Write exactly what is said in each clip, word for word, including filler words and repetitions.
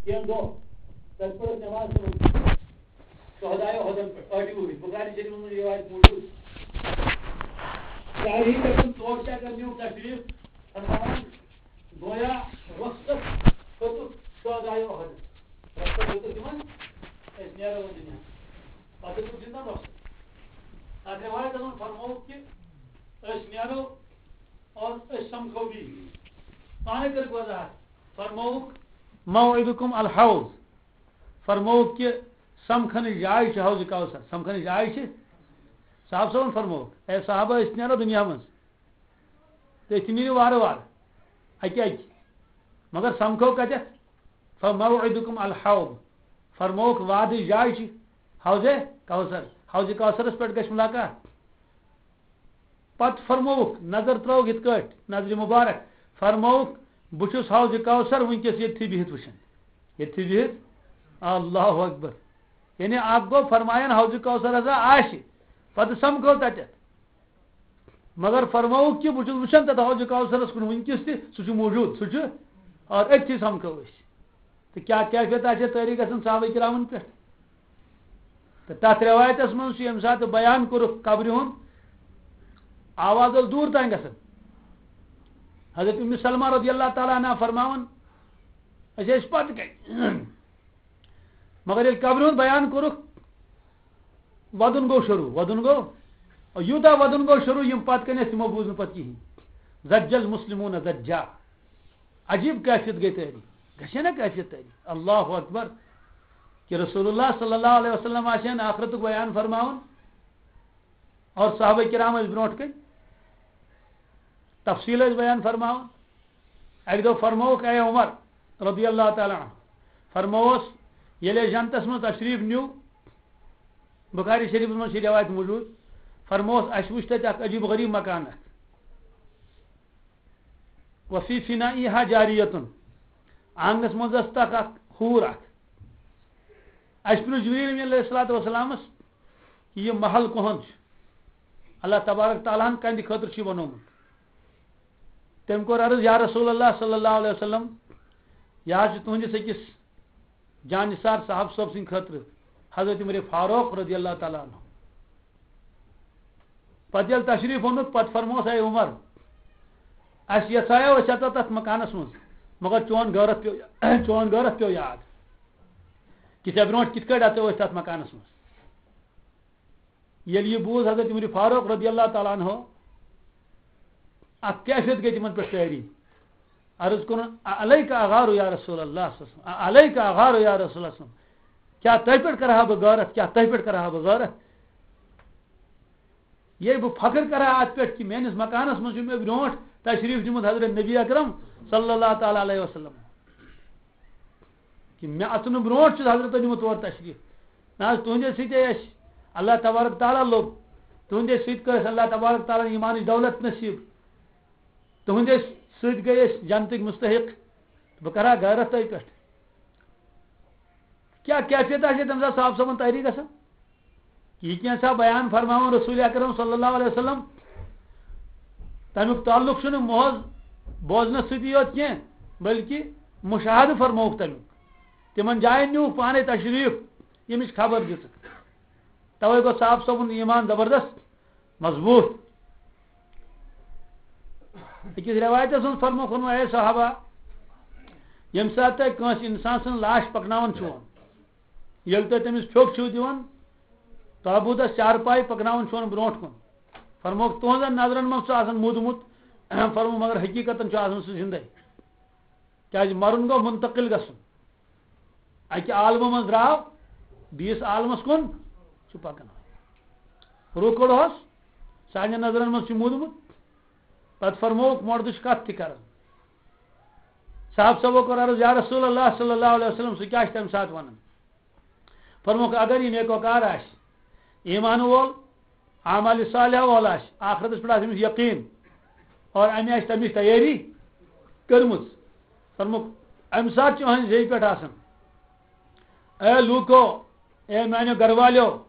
کینٛہہ دۄہ، تَتہِ پٔر اَسہِ نٮ۪ماز تِمَن شہدایو احدن پٮ۪ٹھ، ٲٹھِ وُہٕرۍ، بُخاری شریٖفَس منٛز یہِ رِوایت موٗجوٗد۔ چاہے تَتٮ۪ن توشہِ اگر نیوٗکھ تشریٖف، فرماوان، گویا رۄخصت ہیوٚتُکھ شہدایو احدن۔ رۄخصت ہیوٚتُکھ تِمَن، أسۍ نیرو وۄنۍ دُنیا۔ پَتہٕ ہیوٚتُکھ زِندَن رۄخصت۔ اَتھ رِوایتَس منٛز فرمووُکھ کہِ أسۍ نیرو اور أسۍ سَمکھو بیٚیہِ۔ پانَے کٔرٕکھ وضاحت۔ فرمووُکھ، "موعدکم الحوض"۔ فرمووُکھ کہِ سمکھنٕچ جاے چھِ حوض کوثر۔ سمکھنٕچ جاے چھِ، صاحب صٲبن فرمووُکھ، "اے صحابہ، أسۍ نیرو دُنیا منٛز تہٕ أسۍ تہِ نیرو وارٕ وارٕ، اَکہِ اَکہِ، مگر سمکھو کَتٮ۪تھ؟ فموعدکم الحوض"۔ فرمووُکھ، وعدٕچ جاے چھِ حوض کوثر۔ حوض کوثرس پٮ۪ٹھ گژھِ ملاقات۔ پتہٕ فرمووُکھ، نظر ترٲوُکھ یِتھ کٲٹھۍ، نظرِ مبارک، فرمووُکھ، "بہٕ چھُس حوض کوثر وٕنکیٚس ییٚتھی بِہِتھ وٕچھان۔" ییٚتھی بِہِتھ؟ اللہ اکبر۔ یعنی اکھ گوٚو فرمایان حوض کوثر ہسا آسہِ، پتہٕ سمکھو تتٮ۪تھ۔ مگر فرمووُکھ کہِ بہٕ چھُس وٕچھان تتھ حوض کوثرس کُن وٕنکیٚس تہِ، سُہ چھُ موجود، سُہ چھُ، اور أتھی سمکھو أسۍ۔ تہٕ کیٛاہ کیفیت آسہِ ہے طٲری گژھان صحابہ کرامن پٮ۪ٹھ؟ تہٕ تَتھ رِوایتَس منٛز چھُ ییٚمہِ ساتہٕ بیان کوٚرُکھ قبرِ ہُنٛد، آواز ٲس دوٗر تام گژھان۔ حضرت اُمِّ سلمہ رضی اللہ تعالیٰ عنہا فرماوان، "أسۍ ٲسۍ پَتہٕ کَنۍ۔" مگر ییٚلہِ قبرِ ہُنٛد بیان کوٚرُکھ، وَدُن گوٚو شروٗع، وَدُن گوٚو، یوٗتاہ وَدُن گوٚو شروٗع، یِم پَتہٕ کَنۍ ٲسۍ، تِمو بوٗز نہٕ پَتہٕ کِہیٖنۍ۔ زجل مسلمون زجا۔ عجیب کیفیت گٔے تٲری۔ گژھِ نا کیفیت تٲری؟ اللہ اکبر۔ کہ رسول اللہ صلی اللہ علیہ وسلم آسہِ ہن آخرتُک بیان فرماوُن اور صحابہ کرام ٲسۍ برونٛٹھ کَنۍ تفصیل ٲسۍ بیان فرماوان۔ اَکہِ دۄہ فرمووُکھ، اے عمر رضی اللہ تعالیٰ عنہ، فرمووس، ییٚلہِ أسۍ جنتس منٛز تشریٖف نیوٗ، بخاری شریٖفس منٛز چھِ رِوایت موجود، فرمووس، اَسہِ وُچھ تَتہِ اکھ عجیب غریب مکان اکھ۔ وفی فنائها جاریتن، آنگنس منٛز ٲس تتھ اکھ حور اکھ۔ اَسہِ پرٛژھ جبریل امین علیہ الصلوۃ والسلامس کہ یہِ محل کُہُنٛد چھُ؟ اللہ تبارک تعالیٰ ہن کَنہِ خٲطرٕ چھُ یہِ بنوومُت؟ تٔمۍ کوٚر عرض، یا رسول اللہ صلی اللہ علیہ وسلم، یہِ حظ چھُ تُہنٛدِس أکِس جانثار صاحب صٲب سٕنٛدِ خٲطرٕ، حضرت عمر فاروق رضی اللہ تعالیٰ عنہ۔ پتہٕ ییٚلہِ تشریٖف اوٚنُکھ، پتہٕ فرموس، اے عمر، اَسہِ یژھایو أسۍ اژو تتھ مکانس منٛز، مگر چون غٲرت پیوٚو، چون غٲرت پیوٚو یاد کہ ژےٚ برونٛٹھ کِتھ کٲٹھۍ اژو أسۍ تتھ مکانس منٛز۔ ییٚلہِ یہِ بوٗز حضرت عمر فاروق رضی اللہ تعالیٰ عنہ، اکھ کیفیت گٔے تِمن پٮ۪ٹھ طٲری۔ عرض کوٚرُن، "اعلیک اغار یا رسول اللہ صلی اللہ علیہ وسلم، اعلیک اغار یا رسول اللہ صلی اللہ علیہ وسلم، کیٛاہ تۄہہِ پٮ۪ٹھ کرٕ ہا بہٕ غٲرت، کیٛاہ تۄہہِ پٮ۪ٹھ کرٕ ہا بہٕ غٲرت؟ ییٚلہِ بہٕ فخر کرٕ ہا اتھ پٮ۪ٹھ کہ میٲنِس مکانس منٛز چھُ مےٚ برونٛٹھ تشریٖف نیومُت حضرت نبی اکرم صلی اللہ تعالیٰ علیہ وسلم، کہ مےٚ اژنہٕ برونٛٹھ چھُ حضرت نیومُت تور تشریٖف۔ نہ حظ، تُہنٛدے سۭتۍ اَسہِ اللہ تبارک تعالیٰ لوٚب، تُہنٛدے سۭتۍ کٔر اَسہِ اللہ تبارک تعالیٰ ہن ایٖمانٕچ دولت نصیٖب، تُہنٛدے سۭتۍ گٔے أسۍ جنتٕکۍ مستحق، بہٕ کرٕ ہا غٲرت تۄہہِ پٮ۪ٹھ۔" کیٛاہ کیفیت آسہِ ہے تَمہِ ساتہٕ صاحب صٲبن طٲری گژھان؟ یہِ کینٛژھا بیان فرماوان رسول اکرم صلی اللہ علیہ وسلم، تَمیُک تعلق چھُنہٕ محض بوزنس سۭتی یوت کینٛہہ، بلکہِ مشاہدٕ فرمووُکھ تَمیُک۔ تِمن جاین نیوٗکھ پانے تشریٖف، ییٚمِچ خبر دِژٕکھ۔ توے گوٚو صاحب صٲبُن ایٖمان زبردست مضبوٗط۔ أکِس رٮ۪وایتَس منٛز فرمووُکھ، اے صحابہ، ییٚمہِ ساتہٕ تۄہہِ کٲنٛسہِ اِنسان سٕنٛز لاش پَکناوان چھُون، ییٚلہِ تُہۍ تٔمِس پھیوٚک چھِو دِوان، تابوٗتَس چارپاے پَکناوان چھُون برونٛٹھ کُن، فرمووُکھ، تُہنٛزن نظرن منٛز چھُ آسان موٗدمُت، فرمووُکھ، مگر حقیٖقتن چھُ آسان سُہ زِندَے۔ کیٛازِ مَرُن گوٚو مُنتقل گژھُن۔ اَکہِ عالمہٕ منٛز درٛاو، بیٚیِس عالمَس کُن چھُ پَکان۔ روٗکُڑ اوس، سانٮ۪ن نظرَن منٛز چھُ موٗدمُت۔ پَتہٕ فرمووُکھ، مۄردٕچ کَتھ تہِ کَران۔ صاحب صٲبو کوٚر عرض، یا رسول اللہ صلی اللہ علیہ وسلم، سُہ کیٛاہ چھُ تَمہِ ساتہٕ وَنان؟ فرمووُکھ، اگر یہِ نیکوکار آسہِ، ایٖمان وول، اعمال صالحہ وول آسہِ، آخرتس پٮ۪ٹھ آسہِ أمِس یقیٖن، اور أمۍ آسہِ تَمِچ تیٲری کٔرمٕژ۔ فرمووُکھ، اَمہِ ساتہٕ چھُ أہٕنٛزِ زیٚیہِ پٮ۪ٹھ آسان، اے لوٗکو، اے میٛانیو گرٕ والیو،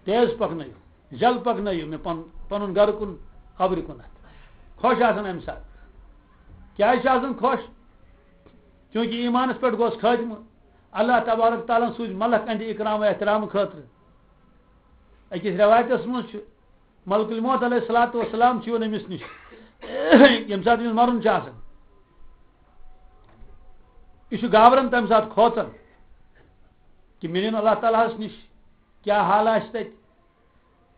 تیز پَکنٲیِو، جل پَکنٲیِو مےٚ پَن-، پَنُن گرٕ کُن، قبرِ کُنَتھ۔ خۄش آسان اَمہِ ساتہٕ۔ کیٛازِ چھِ آسان خۄش؟ چونکہ ایمانس پٮ۪ٹھ گوس خاتمہٕ، اللہ تبارک تعالیٰ ہن سوٗزۍ ملک اہندِ اکرام و احترام خٲطرٕ۔ أکِس رٮ۪وایتس منٛز چھُ، ملک الموت علیہ الصلوۃ والسلام چھُ یِوان أمِس نِش، ییٚمہِ ساتہٕ أمِس مرُن چھُ آسان۔ یہِ چھُ گابران تَمہِ ساتہٕ کھوژان کہِ مےٚ نِن اللہ تعالیٰ ہس نِش، کیٛاہ حال آسہِ تَتہِ۔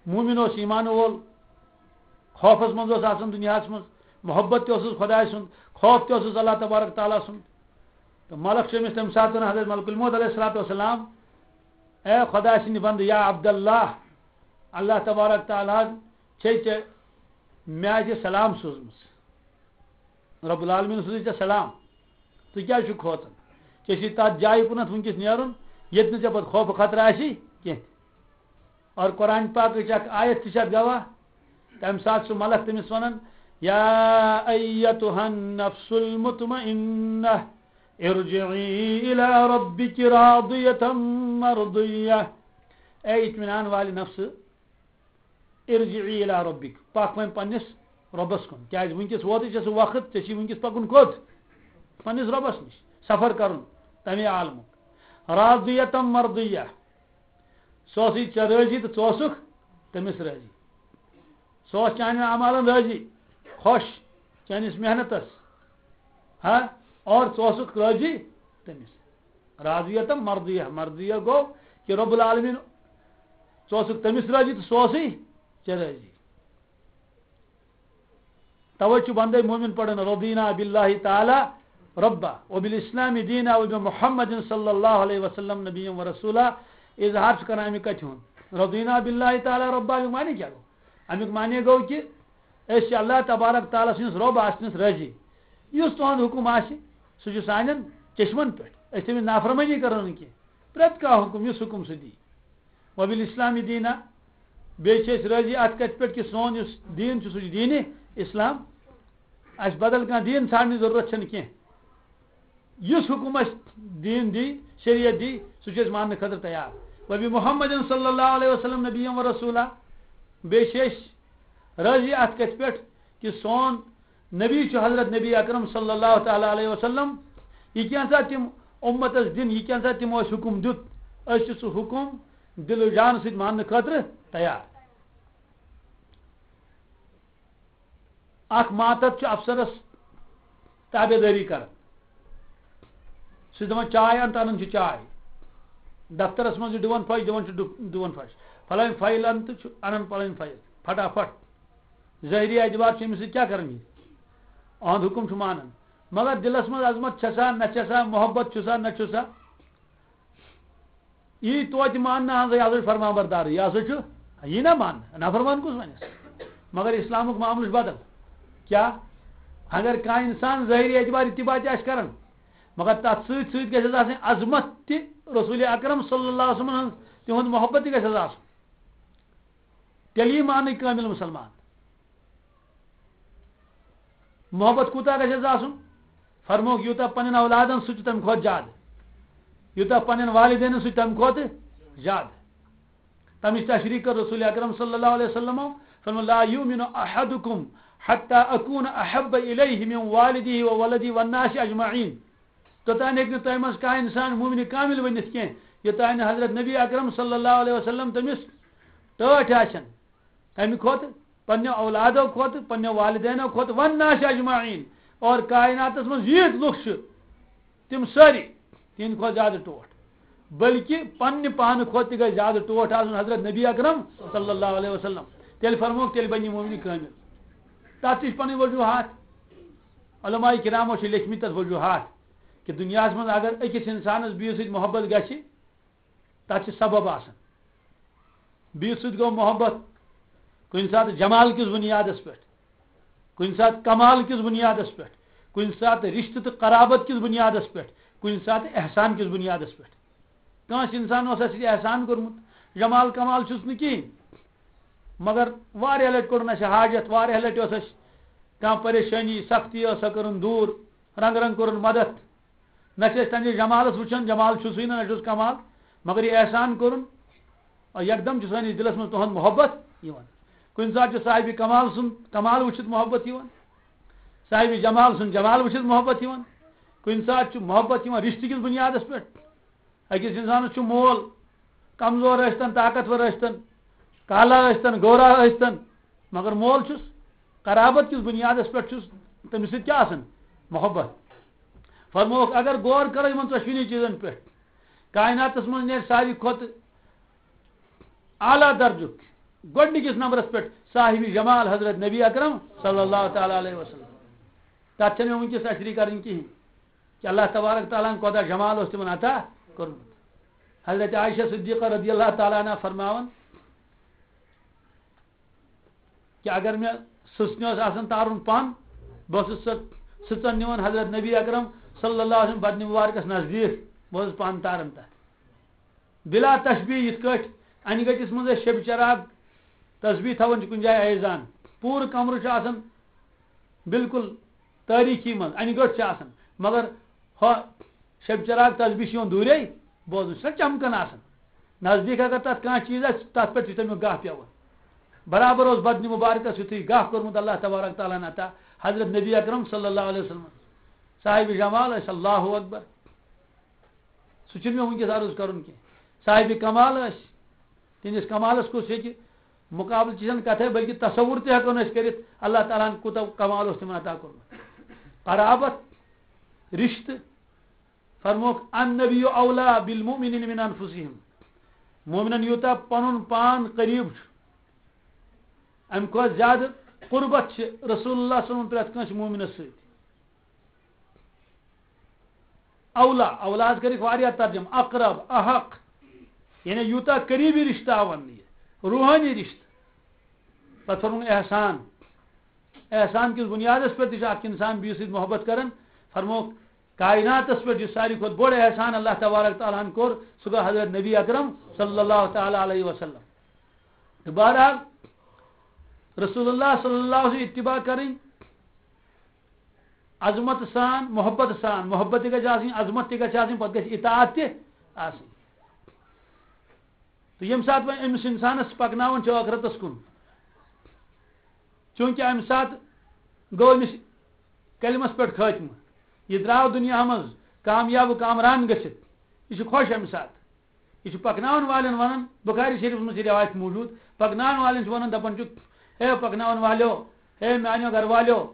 مومن اوس، ایمان وول، خوفس منٛز اوس آسان دُنیاہس منٛز، محبت تہِ اوسُس خۄداے سُنٛد، خوف تہِ اوسُس اللہ تبارک تعالیٰ سُنٛد۔ تہٕ ملک چھُ أمِس تَمہِ ساتہٕ وَنان، حضرت ملک الموت علیہ الصلوۃ والسلام، اے خۄداے سٕنٛدِ بندٕ، یا عبداللہ، اللہ تبارک تعالیٰ ہن چھے ژےٚ مےٚ آسہِ سلام سوٗزمٕژ۔ رب العالمین سوٗزٕے ژےٚ سلام۔ ژٕ کیٛازِ چھُکھ کھوژان؟ ژےٚ چھُے تَتھ جایہِ کُنَتھ وٕنکیٚس نیرُن، ییٚتہِ نہٕ ژےٚ پَتہٕ خوفہٕ خطرٕ آسی کینٛہہ۔ اور قرآن پاکٕچ اکھ آیت تہِ چھِ اَتھ گواہ۔ تَمہِ ساتہٕ چھُ ملک تٔمِس وَنان، یا ایتُہَا النفس المطمئنہ، ارجعی الی ربک راضیۃ مرضیہ۔ اے اطمینان والہِ نفسہٕ، ارجعی الی ربک، پکھ وۄنۍ پننِس رۄبس کُن۔ کیازِ وٕنکیٚس ووتُے ژےٚ سُہ وقت، ژےٚ چھُے وٕنکیٚس پکُن کوٚت؟ پننِس رۄبس نِش، سفر کرُن تمے عالمُک۔ راضیۃ مرضیہ، سُہ اوسُے ژےٚ رٲضی تہٕ ژٕ اوسُکھ تٔمِس رٲضی۔ سُہ اوس چانٮ۪ن اعمالن رٲضی، خۄش چٲنِس محنتس، ہا، اور ژٕ اوسُکھ رٲضی تٔمِس۔ راضیتم مرضیہ، مرضیہ گوٚو کہِ رب العالمین، ژٕ اوسُکھ تٔمِس رٲضی تہٕ سُہ اوسُے ژےٚ رٲضی۔ توے چھُ بندے مومن پران، رضینا باللہ تعالی ربا وبالاسلام دینا وبمحمد صلی اللہ علیہ وسلم نبی و رسولا۔ اظہار چھُ کران اَمہِ کتھِ ہُنٛد، رضینا باللہ تعالی ربا، اَمیُک معنی کیٛاہ گوٚو؟ اَمیُک معنی گوٚو کہِ أسۍ چھِ اللہ تبارک تعالیٰ سٕنٛدِس رۄب آسنَس رٲضی۔ یُس تُہُنٛد حُکُم آسہِ، سُہ چھُ سانٮ۪ن چشمن پٮ۪ٹھ۔ أسۍ تٔمِس نافرمٲنی کرو نہٕ کینٛہہ۔ پرٛٮ۪تھ کانٛہہ حُکُم، یُس حُکُم سُہ دی۔ وبالاسلام دینا، بیٚیہِ چھِ أسۍ رٲضی اَتھ کَتھِ پٮ۪ٹھ کہِ سون یُس دیٖن چھُ، سُہ چھُ دیٖنِ اسلام۔ اَسہِ بدل کانٛہہ دیٖن ژھانڈنٕچ ضروٗرت چھَنہٕ کینٛہہ۔ یُس حُکُم اَسہِ دیٖن دی، شریعت دی، سُہ چھِ أسۍ ماننہٕ خٲطرٕ تیار۔ وبی محمد صلی اللہ علیہ وسلم نبی و رسولہ۔ بیٚیہِ چھِ أسۍ رٲضی اَتھ کَتھِ پٮ۪ٹھ کہِ سون نبی چھُ حضرت نبی اکرم صلی اللہ تعالیٰ علیہ وسلم۔ یہِ کینٛژھا تِم اُمتس دِن، یہِ کینٛژھا تِمو اَسہِ حُکُم دیُت، أسۍ چھِ سُہ حُکُم دِل و جان سۭتۍ ماننہٕ خٲطرٕ تیار۔ اکھ ماتحت چھُ افسرس تابعدٲری کران۔ سُہ چھُ دپان، "چاے اَن"، تہٕ انان چھُ چاے۔ دفترس منٛز چھُ دِوان پھش، دِوان چھُ ڈُ-، دِوان پھش۔ فلٲنۍ فایل اَن تہٕ چھُ انان پلٲنۍ فایل۔ پھٹافٹ۔ ظٲہری اعتبار چھُ أمِس سۭتۍ کیٛاہ کران یہِ؟ اہُنٛد حُکُم چھُ مانان۔ مگر دِلس منٛز عظمت چھےٚ سا، نہ چھےٚ سا، محبت چھُ سا، نہ چھُ سا۔ یی توتہِ ماننہٕ، اہن سا، یہِ ہسا چھُ فرمان بردار، یہِ ہسا چھُ، یی نہ ماننہٕ، نافرمان کُس وَنٮ۪س؟ مگر اسلامُک معاملہٕ چھُ بدل۔ کیٛاہ؟ اگر کانٛہہ انسان ظٲہری اعتبار اتباع تہِ آسہِ کران، مگر تتھ سۭتۍ سۭتۍ گژھٮ۪س آسٕنۍ عظمت تہِ، رسول اکرم صلی اللہ علیہ وسلم ہٕنٛز، تِہُنٛد محبت تہِ گژھٮ۪س آسُن۔ تیٚلہِ یی ماننہٕ کٲمِل مُسلمان۔ محبت کوٗتاہ گژھٮ۪س آسُن؟ فرمووُکھ، یوٗتاہ پننٮ۪ن اولادن سۭتۍ چھُ، تمہِ کھۄتہٕ زیادٕ، یوٗتاہ پننٮ۪ن والدینن سۭتۍ، تمہِ کھۄتہٕ زیادٕ۔ تمِچ تشریح کٔر رسول اکرم صلی اللہ علیہ وسلمو، فرموو، "لا یؤمن احدکم حتی اکون احب الیہ من والدہ و ولدہ والناس اجمعین۔" توٚتام ہیٚکہِ نہٕ تۄہہِ منٛز کانٛہہ اِنسان مومنِ کامِل ؤنِتھ کینٛہہ، یوٚتام نہٕ حضرت نبی اکرم صلی اللہ علیہ وسلم تٔمِس ٹٲٹھۍ آسن۔ کَمہِ کھۄتہٕ؟ پننیو اولادو کھۄتہٕ، پننیو والدینو کھۄتہٕ، والناس اجمعین، اور کائناتس منٛز ییٖتۍ لُکھ چھِ، تِم سٲری، تِہنٛدِ کھۄتہٕ زیادٕ ٹوٹھ۔ بلکہِ پننہِ پانہٕ کھۄتہٕ تہِ گژھِ زیادٕ ٹوٹھ آسُن حضرت نبی اکرم صلی اللہ علیہ وسلم۔ تیٚلہِ فرموکھ، تیٚلہِ بنہِ یہِ مومنِ کٲمِل۔ تَتھ تہِ چھِ پنٕنۍ وجوہات۔ علماء کرامو چھِ لیکھمٕتۍ تَتھ وجوہات کہِ دُنیاہَس منٛز اگر أکِس اِنسانَس بیٚیِس سۭتۍ محبت گژھِ، تَتھ چھِ سبب آسان۔ بیٚیِس سۭتۍ گوٚو محبت کُنہِ ساتہٕ جمال کِس بُنیادَس پٮ۪ٹھ، کُنہِ ساتہٕ کمال کِس بُنیادَس پٮ۪ٹھ، کُنہِ ساتہٕ رِشتہٕ تہٕ قرابت کِس بُنیادَس پٮ۪ٹھ، کُنہِ ساتہٕ احسان کِس بُنیادَس پٮ۪ٹھ۔ کٲنٛسہِ اِنسان اوس اَسہِ سۭتۍ احسان کوٚرمُت، جمال کمال چھُس نہٕ کِہیٖنۍ، مگر واریاہ لَٹہِ کوٚڑُن اَسہِ حاجت، واریاہ لَٹہِ اوس اَسہِ کانٛہہ پریشٲنی، سختی ٲس، سۄ کٔرٕن دوٗر، رنٛگہٕ رنٛگہٕ کوٚرُن مدد۔ نہ چھِ أسۍ تَمہِ جمالَس وٕچھان، جمال چھُ سُے نہ، نہ چھُس کمال، مگر یہِ احسان کوٚرُن، آ، یکدم چھُ سٲنِس دِلَس منٛز تُہُنٛد محبت یِوان۔ کُنہِ ساتہٕ چھُ صاحبِ کمال سُنٛد کمال وٕچھِتھ محبت یِوان، صاحبِ جمال سُنٛد جمال وٕچھِتھ محبت یِوان۔ کُنہِ ساتہٕ چھُ محبت یِوان رِشتہٕ کِس بُنیادَس پٮ۪ٹھ۔ أکِس اِنسانَس چھُ مول، کمزور ٲسۍتن، طاقتور ٲسۍتن، کالا ٲسۍتن، گورا ٲسۍتن، مگر مول چھُس، قرابت کِس بُنیادَس پٮ۪ٹھ چھُس تٔمِس سۭتۍ کیٛاہ آسان؟ محبت۔ فرمووُکھ، اگر غور کرو یِمن ژۄشوٕنی چیٖزن پٮ۪ٹھ، کائناتس منٛز نیرِ ساروی کھۄتہٕ اعلیٰ درجُک، گۄڈٕنِکِس نمبرس پٮ۪ٹھ صاحب جمال حضرت نبی اکرم صلی اللہ تعالیٰ علیہ وسلم۔ تتھ چھنہٕ مےٚ وٕنکیٚس تشریح کرٕنۍ کِہینۍ کہِ اللہ تبارک تعالیٰ ہن کوتاہ جمال اوس تِمن عطا کوٚرمُت۔ حضرت عائشہ صدیقہ رضی اللہ تعالیٰ عنہا فرماوان، کہ اگر مےٚ سٕژنہِ اوس آسان تارُن پن، بہٕ اوسُس سۄ سٕژن نِوان حضرت نبی اکرم صلی اللہ علیہ وسلم بدنہِ مبارکس نزدیٖک، بہٕ اوسُس پن تاران تتھ۔ بلا تشبیہ، یِتھ کٲٹھۍ انہِ گٔٹِس منٛز أسۍ شبِ چراغ تسبیح تھاوان چھِ کُنہِ جایہِ ایزان، پوٗرٕ کمرٕ چھُ آسان بالکل تٲریٖکی منٛز، انہِ گٔٹ چھِ آسان، مگر ہۄ شب چراغ تسبیح چھِ یِوان دوٗرے بوزنہٕ، سۄ چمکان آسان۔ نزدیٖک اگر تتھ کانٛہہ چیٖز آسہِ، تتھ پٮ۪ٹھ چھُ تمیُک گاہ پٮ۪وان۔ برابر اوس بدنہِ مبارکس یُتھُے گاہ کوٚرمُت اللہ تبارک تعالیٰ ہن عطا حضرت نبی اکرم صلی اللہ علیہ وسلم۔ صاحب جمال ٲسۍ، اللہ اکبر۔ سُہ چھُنہٕ مےٚ وٕنکیٚس عرض کرُن کینٛہہ۔ صاحب کمال ٲسۍ، تِہنٛدِس کمالس کُس ہیٚکہِ مُقابلہٕ چھِ زن کتھے، بلکہِ تصور تہِ ہٮ۪کو نہٕ أسۍ کٔرِتھ، اللہ تعالیٰ ہن کوٗتاہ کمال اوس تِمن عطا کوٚرمُت۔ قرابت، رشتہٕ، فرموکھ، "النبی اولا بالمؤمنین من انفسہم"، مومنن یوٗتاہ پنُن پان قریب چھُ، امہِ کھۄتہٕ زیادٕ قربت چھِ رسول اللہ صلی اللہ علیہ وسلم پرٛٮ۪تھ کٲنٛسہِ مومنس سۭتۍ۔ اولا، اولا حظ کٔرِکھ واریاہ ترجمہٕ، اقرب، احق، یعنی یوٗتاہ قریبی رشتہٕ آو وننہٕ یہِ، روحٲنی رشتہٕ۔ پتہٕ فرمووُن احسان۔ احسان کِس بُنیادس پٮ۪ٹھ تہِ چھُ اکھ انسان بیٚیِس سۭتۍ محبت کران۔ فرمووُکھ، کائناتس پٮ۪ٹھ یُس ساروی کھۄتہٕ بوٚڑ احسان اللہ تبارک تعالیٰ ہن کوٚر، سُہ گوٚو حضرت نبی اکرم صلی اللہ تعالیٰ علیہ وسلم۔ تہٕ بہرحال، رسول اللہ صلی اللہ علیہ وسلم اتباع کرٕنۍ، عظمت سان، محبت سان، محبت تہِ گژھِ آسٕنۍ، عظمت تہِ گژھِ آسٕنۍ، پتہٕ گژھِ اطاعت تہِ آسٕنۍ۔ تہٕ ییٚمہِ ساتہٕ وۄنۍ أمِس اِنسانَس پَکناوان چھِ ٲخرَتَس کُن، چوٗنٛکہِ اَمہِ ساتہٕ گوٚو أمِس کلمَس پٮ۪ٹھ خٲتمہٕ، یہِ درٛاو دُنیاہَس منٛز کامیاب و کامران گٔژھِتھ، یہِ چھُ خۄش اَمہِ ساتہٕ۔ یہِ چھُ پَکناوَن والٮ۪ن وَنان، بُخاری شریٖفَس منٛز چھِ رِوایت موٗجوٗد، پَکناوَن والٮ۪ن چھُ وَنان، دَپان چھُکھ، "ہے پَکناوَن والیو، ہے میٛانیو گَرٕ والیو،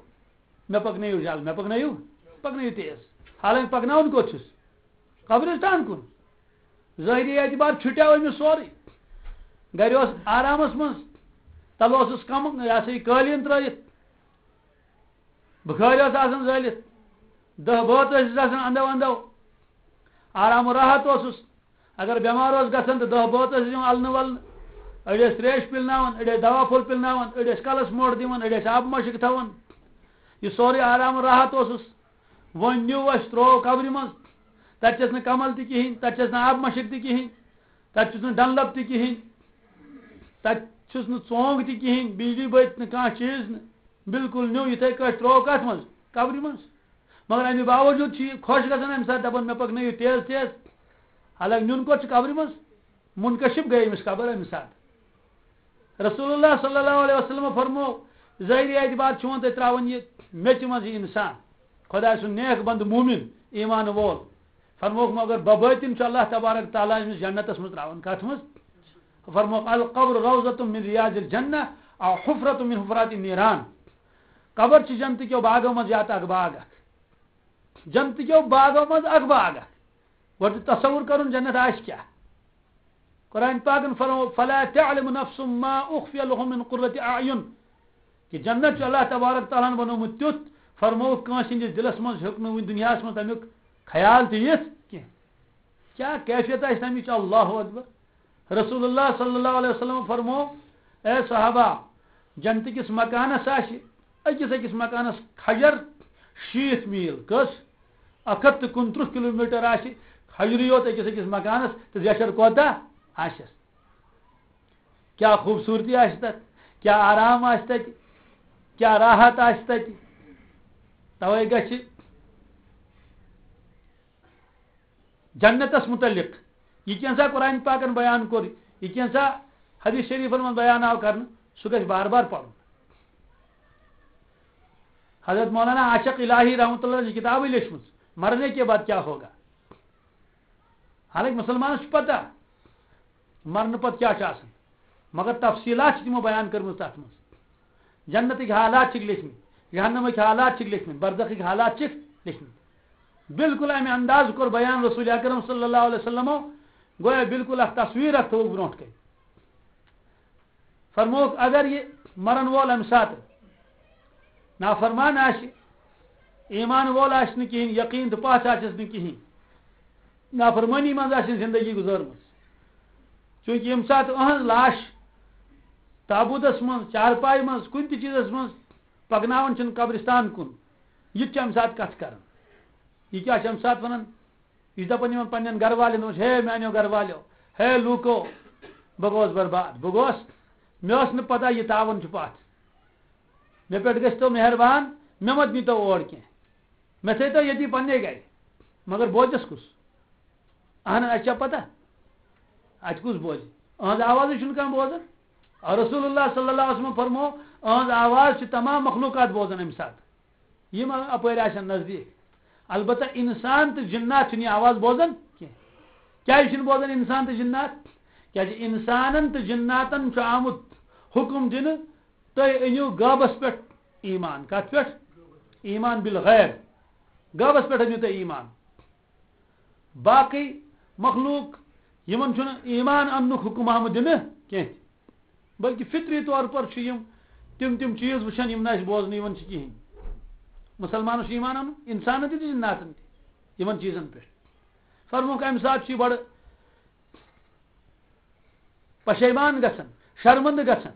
مےٚ پَکنٲیِو جلد، مےٚ پَکنٲیِو، پَکنٲیِو تیز۔" حالانکہِ پَکناوَن کوٚت چھُس؟ قبرستان کُن۔ ظٲہری اعتبار چھُٹیو أمِس سورُے۔ گرِ اوس آرامس منٛز، تلہٕ اوسُس کم، یہِ ہسا یہِ قٲلیٖن ترٲیِتھ، بُخٲرۍ ٲس آسان زٲلِتھ، دہ بٲژ ٲسِس آسان اندو اندو، آرام و راحت اوسُس۔ اگر بٮ۪مار اوس گژھان تہٕ دہ بٲژ ٲسِس یِوان النہٕ ولنہٕ، أڑۍ ٲسۍ تریش پِلناوان، أڑۍ ٲسۍ دوا پھوٚل پِلناوان، أڑۍ ٲسۍ کلس موٹھ دِوان، أڑۍ ٲسۍ آبہٕ مشک تھاوان۔ یہِ سورُے آرام و راحت اوسُس۔ وۄنۍ نیوٗ اَسہِ، ترٛوو قبرِ منٛز۔ تَتہِ چھَس نہٕ کمل تہِ کِہیٖنۍ، تَتہِ چھَس نہٕ آبہٕ مَشٕک تہِ کِہیٖنۍ، تَتہِ چھُس نہٕ ڈنلپ تہِ کِہیٖنۍ، تَتہِ چھُس نہٕ ژونٛگ تہِ کِہیٖنۍ، بجلی بٔتۍ نہٕ، کانٛہہ چیٖز نہٕ۔ بالکل نیوٗ یِتھَے کٲٹھۍ، ترٛوو کَتھ منٛز؟ قبرِ منٛز۔ مگر اَمہِ باوجوٗد چھُ یہِ خۄش گژھان اَمہِ ساتہٕ، دَپان، "مےٚ پَکنٲیِو تیز تیز۔" حالانکہِ نیُن کوٚت چھُ؟ قبرِ منٛز۔ منکشف گٔے أمِس قبر اَمہِ ساتہٕ۔ رسول اللہ صلی اللہ علیہ وسلم فرمو، ظٲہری اعتبار چھُ وۄنۍ تۄہہِ ترٛاوان یہِ میٚژِ منٛز یہِ اِنسان، خۄداے سُنٛد نیک بنٛدٕ مومِن، ایمان وول۔ فرمووُکھ، مگر ببٲطِن چھُ اللہ تبارک تعالیٰ أمِس جنتس منٛز ترٛاوان۔ کتھ منٛز؟ فرمووُکھ، "القبر روضۃ من ریاض الجنہ او حفرۃ من حفرات النیران۔" قبر چھِ جنتہٕ کیو باغو منٛز یا تہٕ اکھ باغ اکھ۔ جنتہٕ کیو باغو منٛز اکھ باغ اکھ۔ گۄڈٕ چھُ تصور کرُن جنت آسہِ کیٛاہ۔ قرآن پاکن فرمو، "فلا تعلم نفس ما اخفی لهم من قرۃ اعین۔" کہ جنت چھُ اللہ تبارک تعالیٰ ہن بنوومُت تیُتھ، فرمووُکھ، کٲنٛسہِ ہٕنٛدِس دِلس منٛز ہیوٚک نہٕ وُنہِ دُنیاہس منٛز تمیُک خیال تہِ یِتھ کینٛہہ۔ کیٛاہ کیفیت آسہِ تمِچ؟ اللہ اکبر۔ رسول اللہ صلی اللہ علیہ وسلم فرمو، اے صحابہ، جنتہٕ کِس مکانس آسہِ أکِس أکِس مکانس کھجر شیٖتھ میٖل۔ کٔژ؟ اکھ ہتھ تہٕ کُنترٕٛہ کلوٗمیٹر آسہِ کھجرٕے یوت أکِس أکِس مکانس، تہٕ زیچھر کوتاہ آسٮ۪س؟ کیٛاہ خوٗبصوٗرتی آسہِ تتھ، کیٛاہ آرام آسہِ تتہِ، کیٛاہ راحت آسہِ تتہِ۔ توے گژھِ جنتس متعلق یہِ کینٛژھا قرآن پاکن بیان کوٚر، یہِ کینٛژھا حدیث شریفن منٛز بیان آو کرنہٕ، سُہ گژھِ بار بار پرُن۔ حضرت مولانا عاشق الہی رحمۃ اللہ چھِ کتابٕے لیچھمٕژ، مرنے کے بعد کیا ہوگا؟ حالانکہ مسلمانس چھُ پتہ مرنہٕ پتہٕ کیٛاہ چھُ آسان، مگر تفصیٖلات چھِ تِمو بیان کٔرمٕژ تَتھ منٛز۔ جنتٕکۍ حالات چھِکھ لیکھمٕتۍ، جہنمٕکۍ حالات چھِکھ لیکھمٕتۍ، برزخٕکۍ حالات چھِکھ لیکھمٕتۍ۔ بالکل اَمہِ انداز کوٚر بیان رسول اکرم صلی اللہ علیہ وسلمو، گویا بالکل اکھ تصویر اکھ تھوٚوُکھ برونٛٹھ کَنہِ۔ فرمووُکھ، اگر یہِ مرن وول اَمہِ ساتہٕ نافرمان آسہِ، ایمان وول آسہِ نہٕ کِہیٖنۍ، یقیٖن تہٕ پَژھ آسٮ۪س نہٕ کِہیٖنۍ، نافرمٲنی منٛز آسہِ زندگی گُزٲرمٕژ۔ چوٗنٛکہِ ییٚمہِ ساتہٕ أہٕنٛز لاش تابوٗتس منٛز، چارپایہِ منٛز، کُنہِ تہِ چیٖزس منٛز پکناوان چھِنہٕ قبرستان کُن، یہِ تہِ چھُ اَمہِ ساتہٕ کتھ کران۔ یہِ کیٛاہ چھُ اَمہِ ساتہٕ ونان؟ یہِ چھُ دَپان یِمن پننٮ۪ن گرٕ والٮ۪ن، دوٚپمَس، ہے میٛانیو گرٕ والیو، ہے لوٗکو، بہٕ گوس برباد، بہٕ گوس، مےٚ ٲس نہٕ پتہ یہِ تاوَن چھُ پتھ۔ مےٚ پٮ۪ٹھ گٔژھۍ تو مہربان، مےٚ مت نیٖتو اور کینٛہہ، مےٚ تھٲیتو ییٚتی پننہِ گرِ۔ مگر بوزٮ۪س کُس؟ اہن، اَسہِ چھا پتہ؟ اَتہِ کُس بوزِ؟ أہٕنٛز آوازٕے چھُنہٕ کانٛہہ بوزان۔ اور رسول اللہ صلی اللہ علیہ وسلم فرمو، أہٕنٛز آواز چھِ تمام مخلوقات بوزان اَمہِ ساتہٕ، یِم اَپٲرۍ آسن نزدیٖک۔ البتہ اِنسان تہٕ جِنات چھِنہٕ یہِ آواز بوزان کینٛہہ۔ کیٛازِ چھِنہٕ بوزان اِنسان تہٕ جِنات؟ کیٛازِ اِنسانن تہٕ جِناتن چھُ آمُت حُکم دِنہٕ، تُہۍ أنِو غٲبس پٮ۪ٹھ ایٖمان۔ کتھ پٮ۪ٹھ؟ ایٖمان بالغیب۔ غٲبس پٮ۪ٹھ أنِو تُہۍ ایٖمان۔ باقٕے مخلوق، یِمن چھُنہٕ ایٖمان اننُک حُکم آمُت دِنہٕ کینٛہہ، بلکہِ فطری طور پر چھِ یِم تِم تِم چیٖز وٕچھان، یِم نہٕ اَسہِ بوزنہٕ یِوان چھِ کِہیٖنۍ۔ مُسلمانَس چھُ ایٖمان اَنُن، اِنسانَن تہِ تہٕ جِناتَن تہِ، یِمَن چیٖزَن پٮ۪ٹھ۔ فرمووُکھ، اَمہِ ساتہٕ چھُ یہِ بَڑٕ پشیمان گژھان، شرمندٕ گژھان۔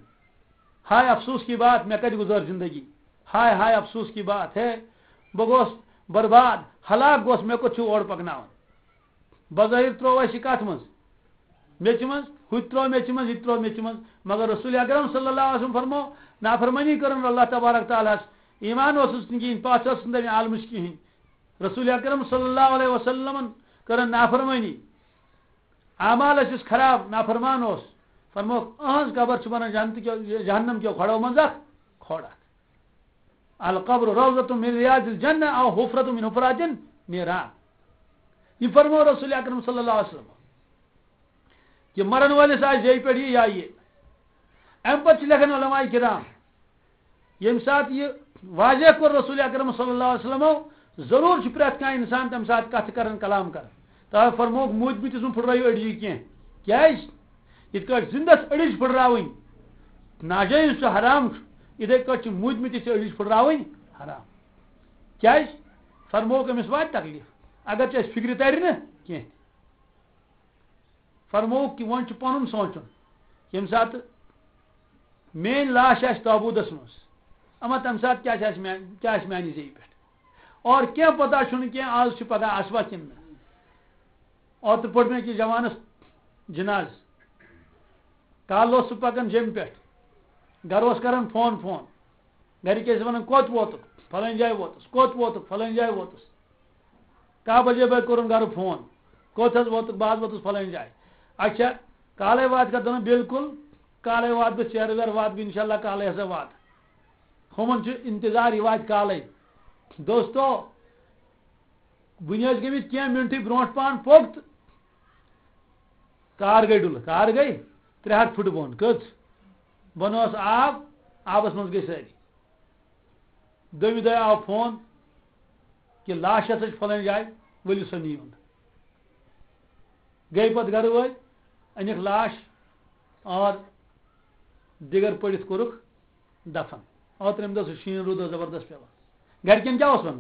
ہائے افسوس کی بات، مےٚ کَتہِ گُزٲر زندگی؟ ہائے، ہائے افسوس کی بات ہے، بہٕ گوس برباد، ہلاک گوس، مےٚ کوٚت چھُ اورٕ پَکناوان؟ بظٲہِر ترٛوو اَسہِ یہِ کَتھ منٛز؟ میٚژِ منٛز، ہُہ تہِ ترٛوو میٚژِ منٛز، یہِ تہِ ترٛوو میٚژِ منٛز۔ مگر رسول اکرم صلی اللہ علیہ وسلم فرمو، نافرمٲنی کٔرٕن اللہ تبارک تعالیٰ ہَس، ایٖمان اوسُس نہٕ کِہیٖنۍ، پَژھ ٲسٕس نہٕ تَمہِ عالمٕچ کِہیٖنۍ۔ رسول اکرم صلی اللہ علیہ وسلمن کٔرٕن نافرمٲنی، اعمال ٲسِس خراب، نافرمان اوس۔ فرمووُکھ، أہٕنٛز قبر چھِ بَنان جنتہٕ کیو، جہنم کیو کھۄڑو منٛز اکھ کھۄڑ اکھ۔ القبر روضۃ من ریاض الجنہ او حفرۃ من حفرات النیران۔ یہِ فرموو رسول اکرم صلی اللہ علیہ وسلم۔ یہِ مرن وٲلِس آسہِ جیٚیہِ پٮ۪ٹھ یہِ یا یہِ۔ اَمہِ پتہٕ چھِ لیکھان علماء کرام، ییٚمہِ ساتہٕ یہِ واضح کوٚر رسول اکرم صلی اللہ علیہ وسلمو، ضروٗر چھُ پرٛٮ۪تھ کانٛہہ اِنسان تَمہِ ساتہٕ کَتھٕ کران، کلام کران۔ تَوَے فرمووُکھ، موٗدمٕتِس مہٕ پھٕٹرٲیِو أڈجہِ کینٛہہ۔ کیٛازِ؟ یِتھ کٲٹھۍ زِندَس أڈِج پھٕٹراوٕنۍ ناجٲیِز چھُ، حرام چھُ، یِتھَے کٲٹھۍ چھِ موٗدمٕتِس تہِ أڈِج پھٕٹراوٕنۍ حرام۔ کیٛازِ؟ فرمووُکھ، أمِس واتہِ تکلیٖف، اگر چھُ اَسہِ فِکرِ تَرِ نہٕ کینٛہہ تہِ۔ فرمووُکھ کہِ وۄنۍ چھُ پَنُن سونٛچُن، ییٚمہِ ساتہٕ میٛٲنۍ لاش آسہِ تابوٗتَس منٛز، اما تَمہِ ساتہٕ کیٛاہ چھِ اَسہِ میٛانہِ، کیٛاہ آسہِ میٛانہِ زیٚیہِ پٮ۪ٹھ؟ اور کینٛہہ پَتہ چھُنہٕ کینٛہہ، آز چھِ پَگاہ آسوا کِنہٕ نہٕ۔ اوترٕ پوٚر مےٚ أکِس جوانَس جِنازٕ۔ کالہٕ اوس سُہ پَکان جیٚمہِ پٮ۪ٹھ، گَرٕ اوس کَران فون فون، گَرِکۍ ٲسۍ وَنان، "کوٚت ووتُکھ؟" "فَلٲنۍ جایہِ ووتُس۔" "کوٚت ووتُکھ؟" "فَلٲنۍ جایہِ ووتُس۔" کاہ بجے بٲگۍ کوٚرُن گرٕ فون، "کوٚت حظ ووتُکھ؟" "بہٕ حظ ووتُس فلٲنۍ جایہِ۔" "اچھا، کالے واتکھا؟" دوٚپُن، "بالکل، کالے واتہٕ بہٕ، ژیرٕ ویرٕ واتہٕ بہٕ، انشاءاللہ کالے ہسا واتہٕ۔" ہُمن چھُ انتظار، یہِ واتہِ کالے۔ دوستو، وُنہِ ٲسۍ گٔمٕتۍ کینٛہہ منٹٕے برونٛٹھ پہن پوٚک تہٕ کار گٔے ڈُلہٕ، کار گٔے ترٛےٚ ہَتھ فُٹہٕ بۄن۔ کٔژ؟ بۄنہٕ اوس آب، آبس منٛز گٔے سٲری۔ دوٚیمہِ دۄہہِ آو فون کہِ لاش ہسا چھِ فلٲنۍ جایہِ، ؤلِو سا نِیِو۔ گٔے پتہٕ گرٕ وٲلۍ، أنِکھ لاش اور دِگر پٔڑِتھ کوٚرُکھ دفن۔ اور ترٛیٚیِمہِ دۄہ سُہ شیٖن روٗد اوس زبردست پٮ۪وان۔ گرِکٮ۪ن کیٛاہ اوس وَنُن؟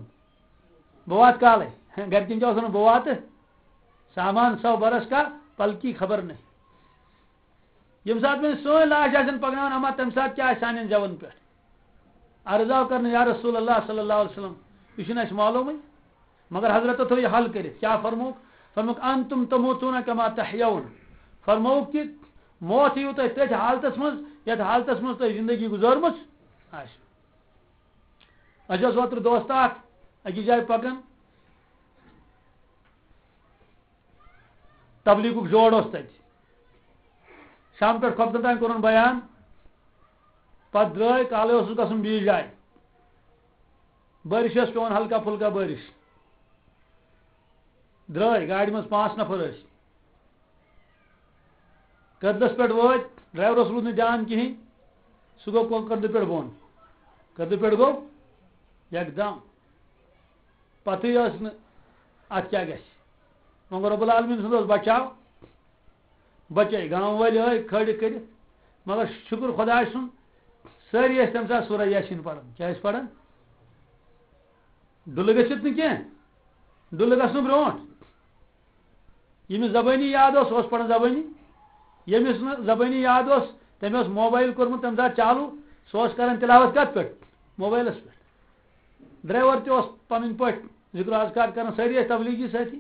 بہٕ واتہٕ کالے۔ گرِکٮ۪ن کیٛاہ اوس وَنُن؟ بہٕ واتہٕ۔ سامان سو برس کا پل کی خبر نہیں۔ ییٚمہِ ساتہٕ وۄنۍ سٲنۍ لاش آسن پکناوان، اما تَمہِ ساتہٕ کیٛاہ آسہِ سانٮ۪ن زٮ۪ون پٮ۪ٹھ؟ عرض آو کرنہٕ، یا رسول اللہ صلی اللہ علیہ وسلم، یہِ چھُنہٕ اَسہِ معلومٕے۔ مگر حضرت تھوٚو یہِ حل کٔرِتھ۔ کیٛاہ فرمووُکھ؟ فرمووُکھ، "انتم تموتون کما تحیون۔" فرمووُکھ کہِ موت یِیِو تۄہہِ تٔتھۍ حالتس منٛز، یَتھ حالتس منٛز تۄہہِ زندگی گُزٲرمٕژ آسہِ۔ اَسہِ اوس اوترٕ دوست اکھ أکِس جایہِ پکان، تبلیغُک جوڑ اوس تَتہِ۔ شام پٮ۪ٹھ خۄفتن تام کوٚرُن بیان، پتہٕ درٛاے، کالے اوسُس گژھُن بیٚیِس جایہِ۔ بٲرِش ٲس پٮ۪وان، ہلکا پھُلکا بٲرِش۔ درٛاے گاڑِ منٛز پانٛژھ نفر ٲسۍ۔ کٔدلس پٮ۪ٹھ وٲتۍ، ڈرایورس روٗد نہٕ دیان کِہینۍ، سُہ گوٚو کو-، کٔدلہٕ پٮ۪ٹھ بۄن۔ کٔدلہٕ پٮ۪ٹھ گوٚو یکدم۔ پتہٕے ٲس نہٕ اتھ کیٛاہ گژھِ۔ وۄنۍ گوٚو رب العالمین سُنٛد اوس بچاو، بچٲے گامہٕ وٲلۍ ٲے کھٲلِکھ کٔرِتھ۔ مگر شُکر خۄدایہِ سُنٛد، سٲری ٲسۍ تَمہِ ساتہٕ سورہ یاسیٖن پران۔ کیٛاہ ٲسۍ پران؟ ڈُلہٕ گٔژھِتھ نہٕ کینٛہہ، ڈُلہٕ گژھنہٕ برونٛٹھ۔ ییٚمِس زبٲنی یاد اوس، سُہ اوس پران زبٲنی۔ ییٚمِس نہٕ زبٲنی یاد اوس، تٔمۍ اوس موبایل کوٚرمُت تَمہِ ساتہٕ چالوٗ، سُہ اوس کران تلاوت کَتھ پٮ۪ٹھ؟ موبایلَس پٮ۪ٹھ۔ ڈرایور تہِ اوس پنٕنۍ پٲٹھۍ ذکر و اذکار کران، سٲری ٲسۍ تبلیغی سٲتھی۔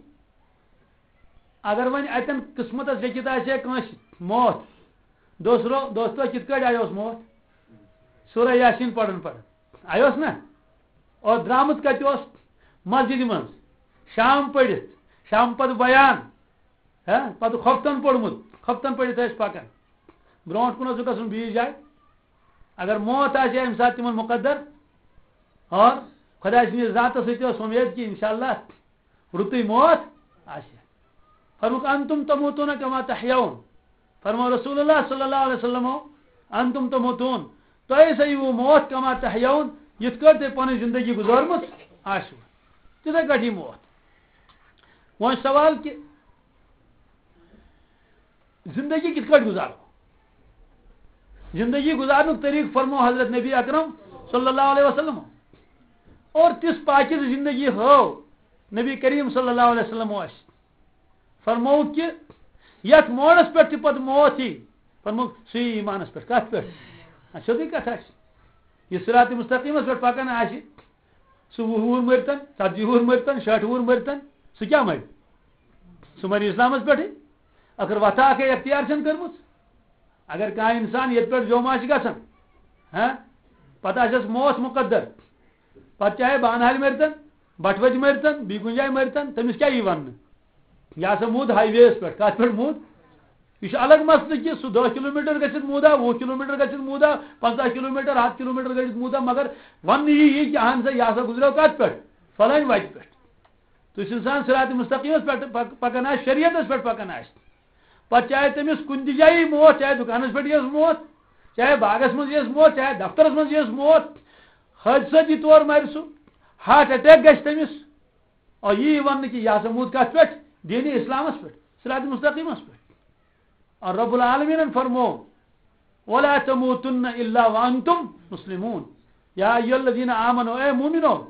اگر وۄنۍ اتٮ۪ن قسمتس لیکھِتھ آسہِ ہے کٲنٛسہِ موت، دوستو، دوستو، کِتھ کٲٹھۍ آیوس موت؟ سورہ یاسین پران پران آیوس نا؟ اور درامُت کتہِ اوس؟ مسجدِ منٛز۔ شام پٔرِتھ، شام پتہٕ بیان، ہا، پتہٕ خۄفتن پوٚرمُت، خۄفتن پٔرِتھ ٲسۍ پکان۔ برونٛٹھ کُن اوس گژھُن بیٚیِس جایہِ۔ اگر موت آسہِ ہے امہِ ساتہٕ تِمن مقدر، اور خۄداے سٕنٛدِس ذاتس سۭتۍ ٲس اُمید کہِ انشاءاللہ رُتُے موت آسہِ۔ فرمووُکھ، "انتم تموتون کما تحیون۔" فرموو رسول اللہ صلی اللہ علیہ وسلمو، "انتم تموتون"، تۄہہِ ہسا یِیِو موت کما تحیون، یِتھ کٲٹھۍ تۄہہِ پنٕنۍ زندگی گُزٲرمٕژ آسِوٕ، تِتھے کٲٹھۍ یی موت۔ وۄنۍ سوال کہِ زندگی کِتھ کٲٹھۍ گُزارو؟ زندگی گُزارنُک طریٖقہٕ فرموو حضرت نبی اکرم صلی اللہ علیہ وسلم۔ اور تِژھ پاکیزٕ زندگی ہٲو نبی کریم صلی اللہ علیہ وسلم اَسہِ۔ فرموو کہِ یَتھ موڑَس پٮ۪ٹھ تہِ پَتہٕ موت یی، فرموو سُہ یی ایٖمانَس پٮ۪ٹھ۔ کَتھ پٮ۪ٹھ؟ اَتھ سیوٚدُے کَتھ آسہِ۔ یہِ صراط مستقیٖمَس پٮ۪ٹھ پَکان آسہِ، سُہ وُہ وُہُر مٔرتن، ژتجی وُہُر مٔرتن، شیٹھ وُہُر مٔرتن، سُہ کیٛاہ مَرِ؟ سُہ مَرِ اِسلامَس پٮ۪ٹھٕے۔ ٲخٕر وَتھا اَکھے اختیار چھَنہٕ کٔرمٕژ۔ اگر کانٛہہ اِنسان ییٚتہِ پٮ۪ٹھ جوٚم آسہِ گژھان، ہاں، پَتہٕ آسٮ۪س موت مُقدر، پَتہٕ چاہے بانہالہِ مٔرتن، بَٹھوَتہِ مٔرتن، بیٚیہِ کُنہِ جایہِ مٔرتن، تٔمِس کیٛاہ یی وَننہٕ؟ یہِ ہسا موٗد ہاے وییَس پٮ۪ٹھ۔ کَتھ پٮ۪ٹھ موٗد؟ یہِ چھُ الگ مسلہٕ کہِ سُہ دَہ کِلوٗ میٖٹر گٔژھِتھ موٗدا، وُہ کِلوٗ میٖٹر گٔژھِتھ موٗدا، پنٛژاہ کِلوٗ میٖٹر، ہَتھ کِلوٗ میٖٹر گٔژھِتھ موٗدا، مگر وَننہٕ یی یہِ کہِ اَہَن سا، یہِ ہسا گُزریو کَتھ پٮ۪ٹھ؟ فلٲنۍ وَتہِ پٮ۪ٹھ۔ تُہۍ چھِو اِنسان صراط مستقیٖمَس پٮ۪ٹھ پَک-، پَکان آسہِ، شریعتَس پٮ۪ٹھ پَکان آسہِ، پَتہٕ چاہے تٔمِس کُنہِ تہِ جایہِ یی موت، چاہے دُکانَس پٮ۪ٹھ یِیَس موت، چاہے باغَس منٛز یِیَس موت، چاہے دفترَس منٛز یِیَس موت، حٲدثٲتی طور مَرِ سُہ، ہارٹ اٹیک گژھِ تٔمِس، اور یی وَننہٕ کہِ یہِ ہسا موٗد کَتھ پٮ۪ٹھ؟ دیٖنِ اِسلامَس پٮ۪ٹھ، صراط مستقیٖمَس پٮ۪ٹھ۔ اور رب العالمیٖنَن فرموو، "ولا تموتن الا وانتم مسلمون، یا ایھا الذین آمنوا"، اے مومنو۔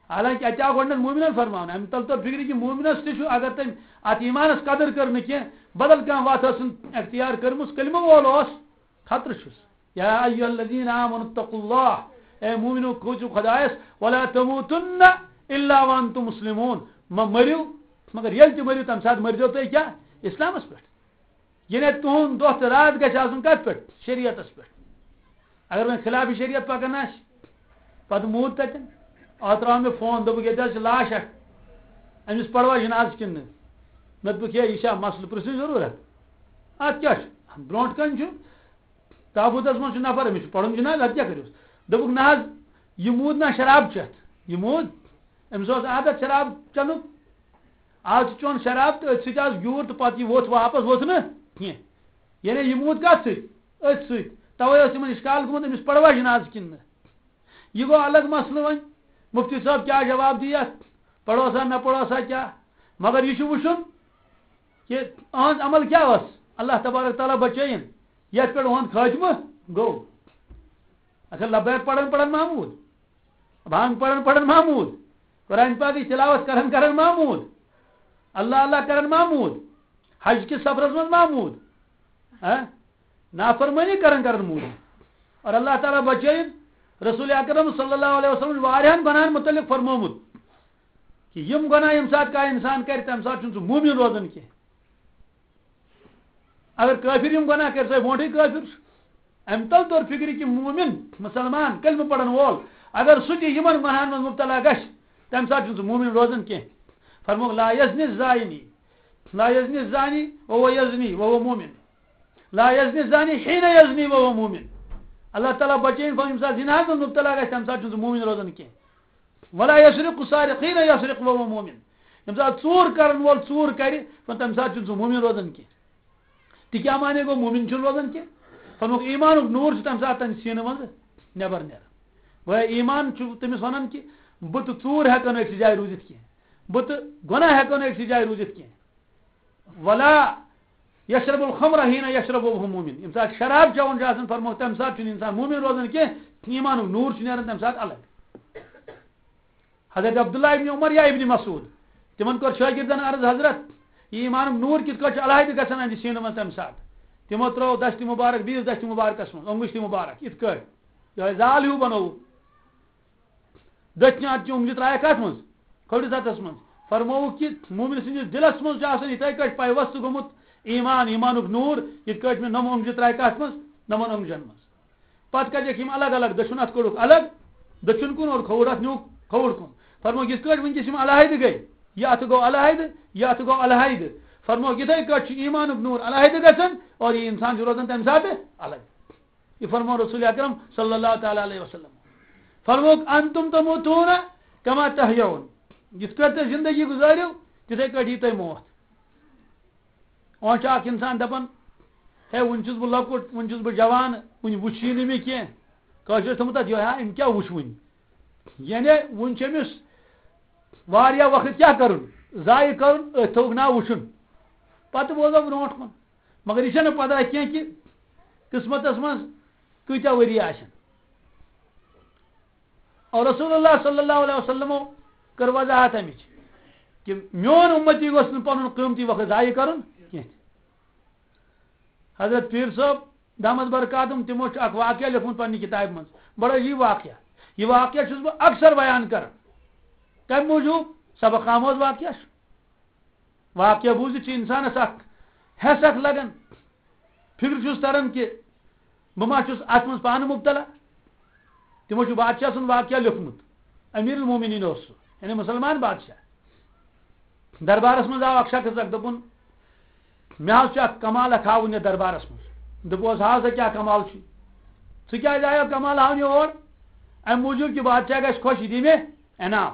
حالانکہ اَتہِ آو گۄڈٕنٮ۪تھ مومنن فرماونہٕ، اَمہِ تَل توٚر فِکرِ کہِ مومنَس تہِ چھُ، اگر تٔمۍ اَتھ ایٖمانَس قدٕر کٔر نہٕ کینٛہہ، بدل کانٛہہ وَتھ ٲسٕن اختیار کٔرمٕژ، کلمہٕ وول اوس، خطرٕ چھُس۔ یا ایھا الذین آمنوا اتقوا اللہ، اے مومنو، کھوژِو خۄدایَس، "ولا تموتن الا وانتم مسلمون"، مہ مٔرِو، مگر ییٚلہِ تہِ مٔرِو، تَمہِ ساتہٕ مٔرۍزیو تُہۍ کیٛاہ؟ اِسلامَس پٮ۪ٹھ۔ یعنی تُہُنٛد دۄہ تہٕ راتھ گژھِ آسُن کَتھ پٮ۪ٹھ؟ شریعتَس پٮ۪ٹھ۔ اگر وۄنۍ خلاف شریعت پَکان آسہِ، پَتہٕ موٗد تَتٮ۪ن، آ، ترٛاو مےٚ فون، دوٚپُکھ، "ییٚتہِ حظ چھِ لاش اَکھ، أمِس پَروا جنازٕ کِنہٕ نہٕ؟" مےٚ دوٚپُکھ، "ہے، یہِ چھا مسلہٕ پرٛژھنٕچ ضروٗرت؟ اَتھ کیٛاہ چھُ؟ برونٛٹھ کَنہِ چھُ۔" تابوٗتس منٛز چھُ نفر، أمِس چھُ پَرُن جنازٕ، اَدٕ کیٛاہ کٔرِوس؟ دوٚپُکھ، "نہ حظ، یہِ موٗد نہ شراب چٮ۪تھ، یہِ موٗد، أمِس اوس عادت شراب چٮ۪نُک، آز چھُ چیوٚن شراب تہٕ أتھۍ سۭتۍ آز گیوٗر تہٕ پَتہٕ یہِ ووٚتھ واپَس ووٚتھ نہٕ کینٛہہ، یعنی یہِ موٗد کَتھ سۭتۍ؟ أتھۍ سۭتۍ۔" تَوَے اوس یِمَن اِشکال گوٚمُت، أمِس پَروا جنازٕ کِنہٕ نہٕ؟ یہِ گوٚو الگ مسلہٕ وۄنۍ۔ مُفتی صٲب کیٛاہ جواب دی یَتھ؟ پَرو سا نہ پَرو سا کیٛاہ؟ مگر یہِ چھُ وٕچھُن کہِ أہنٛز عمل کیٛاہ ٲس؟ اللہ تبارک تعالیٰ بچٲیِن یَتھ پٮ۪ٹھ أہُنٛد خٲتمہٕ گوٚو۔ اچھا، لبیک پران پران محمود، بھانگ پران پران محمود، قرآن پاکٕچ تلاوت کران کران محمود، اللہ اللہ کران محمود، حج کِس سفرس منٛز محمود، ہاں؟ نافرمٲنی کران کران محمود۔ اور اللہ تعالیٰ بچٲیِن۔ رسول اکرم صلی اللہ علیہ وسلم چھُ واریاہن گۄناہن متعلق فرمومُت کہ یِم گۄناہ ییٚمہِ ساتہٕ کانٛہہ اِنسان کرِ، تَمہِ ساتہٕ چھُنہٕ سُہ مومِن روزان کینٛہہ۔ اگر کٲفِر یِم گۄناہ کرِ، سُہ ہے برونٛٹھٕے کٲفِر چھُ۔ اَمہِ تَل توٚر فِکرِ کہِ مومِن، مُسلمان، کلمہٕ پرن وول، اگر سُہ تہِ یِمن گۄناہن منٛز مُبتلا گژھِ، تَمہِ ساتہٕ چھُنہٕ سُہ مومِن روزان کینٛہہ۔ فرمووُکھ، "لا یزنی الزانی، لا یزنی الزانی وہو یزنی وہو مومن۔ لا یزنی الزانی حین یزنی وہو مومن۔" اللہ تعالیٰ بچٲیِن، فرموو، ییٚمہِ ساتہٕ زِناہَس منٛز مُبتلا گژھِ، تَمہِ ساتہٕ چھُنہٕ سُہ مومِن روزان کینٛہہ۔ "ولا یسرق السارق حین یسرق وہو مومن۔" ییٚمہِ ساتہٕ ژوٗر کرن وول ژوٗر کرِ، تَمہِ ساتہٕ چھُنہٕ سُہ مومِن روزان کینٛہہ۔ تہِ کیٛاہ معنی گوٚو؟ مومِن چھُنہٕ روزان کینٛہہ۔ فرمووُکھ، ایٖمانُک نوٗر چھُ تَمہِ ساتہٕ تَمہِ سیٖنہٕ منٛزٕ نٮ۪بر نیران۔ گویا ایٖمان چھُ تٔمِس وَنان کہِ بہٕ تہٕ ژوٗر ہٮ۪کو نہٕ أکسٕے جایہِ روٗزِتھ کینٛہہ، بہٕ تہٕ گۄناہ ہٮ۪کو نہٕ أکسٕے جایہِ روٗزِتھ کینٛہہ۔ ولا یشرب الخمر حین یشرب وهو مؤمن۔ ییٚمہِ ساتہٕ شراب چٮ۪وان چھُ آسان، فرمووُکھ، تَمہِ ساتہٕ چھُنہٕ اِنسان مومِن روزان کینٛہہ، ایٖمانُک نوٗر چھُ نیران تَمہِ ساتہٕ الگ۔ حضرت عبداللہ ابن عمر یا ابن مسعود، تِمن کوٚر شٲگِردن عرض، حضرت، یہِ ایٖمانُک نوٗر کِتھ کٲٹھۍ چھُ علیحدٕ گژھان اَہنٛدِ سیٖنہٕ منٛز تَمہِ ساتہٕ؟ تِمو ترٛٲو دَستہِ مُبارک بیٚیِس دَستہِ مُبارکس منٛز، اوٚنٛگُج تہِ مُبارک، یِتھ کٲٹھۍ یِہوٚے زال ہیوٗ بنووُکھ۔ دٔچھنہِ اَتھٕ چہِ اوٚنٛگجہِ ترٛایَکھ کَتھ منٛز؟ کھوٚرِس اَتھس منٛز۔ فرمووُکھ کہِ مومِن سٕنٛدِس دِلس منٛز چھُ آسان یِتھَے کٲٹھۍ پیوست گوٚمُت ایٖمان، ایٖمانُک نوٗر، یِتھ کٲٹھۍ مےٚ نۄمہٕ اوٚنٛگجہِ ترٛایہِ کَتھ منٛز؟ نۄمَن اوٚنٛگجن منٛز۔ پتہٕ کَتہِ چھِ یِم الگ الگ، دٔچھُن اَتھٕ کوٚڑُکھ الگ، دٔچھُن کُن اور کھووُر اَتھ نیوٗکھ کھووُر کُن۔ فرمووُکھ، یِتھ کٲٹھۍ وٕنکیٚس یِم علیحدٕ گٔے، یہِ اَتھٕ گوٚو علیحدٕ، یہِ اَتھٕ گوٚو علیحدٕ۔ فرمووُکھ، یِتھَے کٲٹھۍ چھُ ایٖمانُک نوٗر علیحدٕ گژھان اور یہِ اِنسان چھُ روزان تَمہِ ساتہٕ الگ۔ یہِ فرموو رسول اکرم صلی اللہ تعالیٰ علیہ وسلم۔ فرمووُکھ، انتم تموتون کما تحیون، یِتھ کٲٹھۍ تُہۍ زندگی گُزٲرِو، تِتھَے کٲٹھۍ یی تۄہہِ موت۔ وۄنۍ چھُ اکھ انسان دپان، ہے، وُنہِ چھُس بہٕ لۄکُٹ، وُنہِ چھُس بہٕ جوان، وُنہِ وُچھ یی نہٕ مےٚ کینٛہہ۔ کٲشرۍ چھِ تھوٚمُت تتھ یِہوٚے، ہا، أمۍ کیٛاہ وُچھ وُنہِ؟ یعنی وُنہِ چھِ أمِس واریاہ وقت کیٛاہ کرُن؟ ضایع کرُن، أتھۍ تھوٚوُکھ ناو وُچھُن۔ پتہٕ بوزو برونٛٹھ کُن۔ مگر یہِ چھَنہٕ پتہ کینٛہہ کہِ قسمتس منٛز کۭتیٛاہ ؤری آسن۔ اور رسول اللہ صلی اللہ علیہ وسلمو کٔر وضاحت اَمِچ کہِ میون اُمتی گوٚژھ نہٕ پنُن قۭمتی وقت ضایع کرُن کینٛہہ۔ حضرت پیٖر صٲب دامت برکاتہم، تِمو چھُ اکھ واقعہ لیوٚکھمُت پننہِ کِتابہِ منٛز، بڑٕ عجیٖب واقعہ۔ یہِ واقعہ چھُس بہٕ اکثر بیان کران۔ کَمہِ موٗجوٗب؟ سبق آموز واقعہ چھُ۔ واقعہ بوٗزِتھ چھُ اِنسانَس اَکھ حٮ۪س اَکھ لَگان، فِکرِ چھُس تَران کہِ بہٕ ما چھُس اَتھ منٛز پانہٕ مُبتلا۔ تِمو چھُ بادشاہ سُنٛد واقعہ لیوٚکھمُت، امیر المومنین اوس سُہ، یعنی مُسلمان بادشاہ۔ دربارَس منٛز آو اَکھ شخص اَکھ، دوٚپُن، مےٚ حظ چھُ اَکھ کمال اَکھ ہاوُن یَتھ دربارَس منٛز۔ دوٚپُس، ہاو سا کیٛاہ کمال چھُ؟ ژٕ کیٛازِ آیو کمال ہاونہِ اور؟ اَمہِ موٗجوٗب کہِ بادشاہ گژھِ خۄش، یہِ دِیہِ مےٚ انعام۔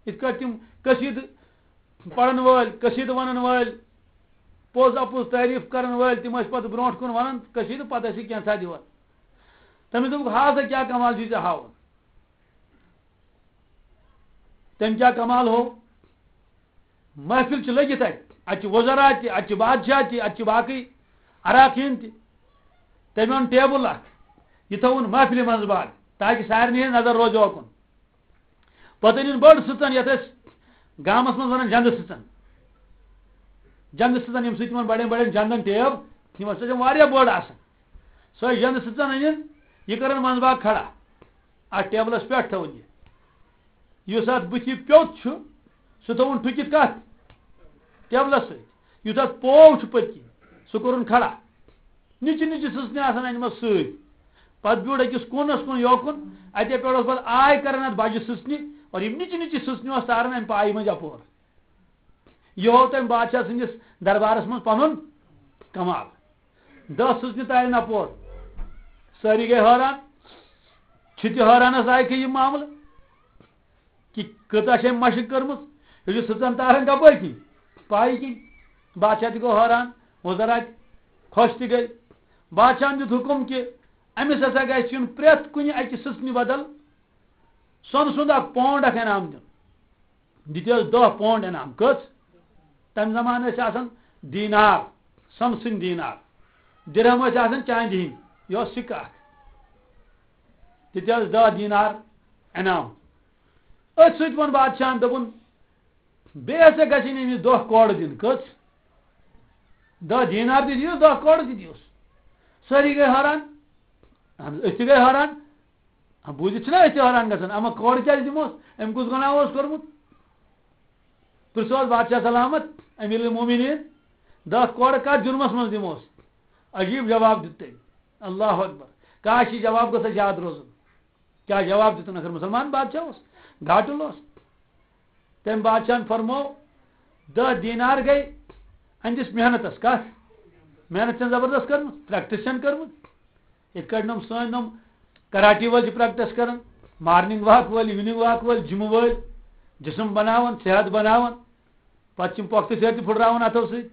یِتھ کٲٹھۍ تِم قصیٖدٕ پرن وٲلۍ، قصیٖدٕ ونن وٲلۍ، پوٚز اپُز تعریٖف کرن وٲلۍ، تِم ٲسۍ پتہٕ برونٛٹھ کُن ونان قصیٖدٕ، پتہٕ ٲسۍ یہِ کینٛژھا دِوان۔ تٔمِس دوٚپُکھ، ہا سا کیٛاہ کمال چھُے ژےٚ ہاوُن؟ تٔمۍ کیٛاہ کمال ہوو؟ محفل چھِ لٔگِتھ اَتہِ، اَتہِ چھِ وزرا تہِ، اَتہِ چھِ بادشاہ تہِ، اَتہِ چھِ باقٕے اراکیٖن تہِ۔ تٔمۍ اوٚن ٹیبل اکھ، یہِ تھووُن محفلہِ منٛز باگ، تاکہِ سارنٕے ہٕنٛز نظر روزِ اوکُن۔ پتہٕ أنِن بٔڑ سٕژن، یتھ أسۍ گامس منٛز ونان جندٕ سٕژن۔ جندٕ سٕژن، ییٚمہِ سۭتۍ تِمن بڑٮ۪ن بڑٮ۪ن جندن ٹیب، یِم ہسا چھِ واریاہ بٔڑ آسان۔ سۄے جندٕ سٕژن أنِن، یہِ کٔرٕن منٛزباگ کھڑا۔ اتھ ٹیبلس پٮ۪ٹھ تھٲوٕن یہِ۔ یُس اتھ بٕتھِ پیوٚت چھُ، سُہ تھٲوُن ٹھُکِتھ کتھ؟ ٹیبلس سۭتۍ۔ یُس اتھ پوو چھُ پٔتۍ کِنۍ، سُہ کوٚرُن کھڑا۔ نِچہِ نِچہِ سٕژنہِ آسان انِمژ سۭتۍ۔ پتہٕ بیوٗٹھ أکِس کوٗنس کُن یوکُن، اتے پٮ۪ٹھ اوس پتہٕ آے کران اتھ بجہِ سٕژنہِ، اور یِم نِچہِ نِچہِ سٕژنہِ اوس تاران امہِ پایہِ مٔنٛزۍ اپور۔ یہِ ہوو تٔمۍ بادشاہ سٕنٛدِس دربارس منٛز پنُن کمال۔ دَہ سٕژنہِ تارن اپور۔ سٲری گٔے حٲران۔ چھِ تہِ حٲرانس لایقٕے یہِ معاملہٕ۔ کہِ کۭژاہ چھِ أمۍ مشق کٔرمٕژ، یہِ چھُ سٕژن تاران کپٲرۍ کِنۍ؟ پایہِ کِنۍ۔ بادشاہ تہِ گوٚو حٲران، وزرا تہِ خۄش تہِ گٔے۔ بادشاہن دیُت حُکم کہِ أمِس ہسا گژھِ یُن پرٛٮ۪تھ کُنہِ اَکہِ سٕژنہِ بدل سۄنہٕ سُنٛد اکھ پونڈ اکھ انعام دیُن۔ دِتِس دَہ پونڈ انعام۔ کٔژ؟ تَمہِ زمانہٕ ٲسۍ آسان دینار، سۄنہٕ سٕنٛدۍ دینار۔ درہم ٲسۍ آسان چاندِ ہٕنٛدۍ، یہِ اوس سِکہٕ اکھ۔ دِتِس دَہ دینار انعام۔ أتھۍ سۭتۍ ووٚن بادشاہن، دوٚپُن، بیٚیہِ ہسا گژھِ أمِس دَہ کورٕ دِنۍ۔ کٔژ؟ دَہ دینار تہِ دِیوس، دَہ کورٕ تہِ دِیوس۔ سٲری گٔے حٲران۔ اہن حظ، أسۍ تہِ گٔے حٲران۔ آ، بوٗزِتھ چھِنہ أسۍ تہِ حٲران گژھان، اما کورٕ کیٛازِ دِموس؟ أمۍ کُس گۄناہ اوس کوٚرمُت؟ پرٛژھوس بادشاہ سلامت، امیر المومنین، دَہ کورٕ کتھ جُرمس منٛز دِموس؟ عجیب جواب دیُت تٔمۍ۔ اللہ اکبر۔ کاش، یہِ جواب گوٚژھ اَسہِ یاد روزُن۔ کیٛاہ جواب دیُتُن؟ اگر مسلمان بادشاہ اوس، گاٹُل اوس۔ تٔمۍ بادشاہن فرموو، دَہ دینار گٔے أہنٛدِس محنتس۔ کتھ؟ محنت چھےٚ زبردست کٔرمٕژ، پریکٹس چھَنہٕ کٔرمٕژ۔ یِتھ کٲٹھۍ نۄم سٲنۍ نۄم کراٹی وٲلۍ چھِ پریکٹس کران، مارننگ واک وٲلۍ، ایوننگ واک وٲلۍ، جمہٕ وٲلۍ، جسم بناوان، صحت بناوان۔ پتہٕ چھِ یِم پۄختہٕ سیرِ تہِ پھُٹراوان اَتھو سۭتۍ۔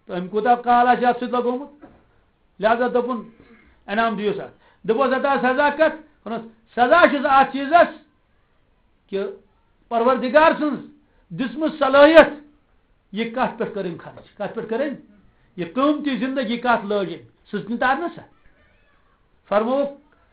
تہٕ أمۍ کوٗتاہ کال آسہِ اَتھ سۭتۍ لوٚگمُت؟ لہذا دوٚپُن، انعام دِیوس اَتھ۔ دوٚپُس، ہتا سزا کَتھ؟ ووٚنُس، سزا چھُس اَتھ چیٖزَس کہِ پروردگار سٕنٛز دِژمٕژ صلٲحیت، یہِ کَتھ پٮ۪ٹھ کٔر أمۍ خرٕچ؟ کَتھ پٮ۪ٹھ کٔر أمۍ؟ یہِ قۭمتی زندگی کَتھ لٲج أمۍ؟ سٕژنہِ تَر نہ سا؟ فرمووُکھ،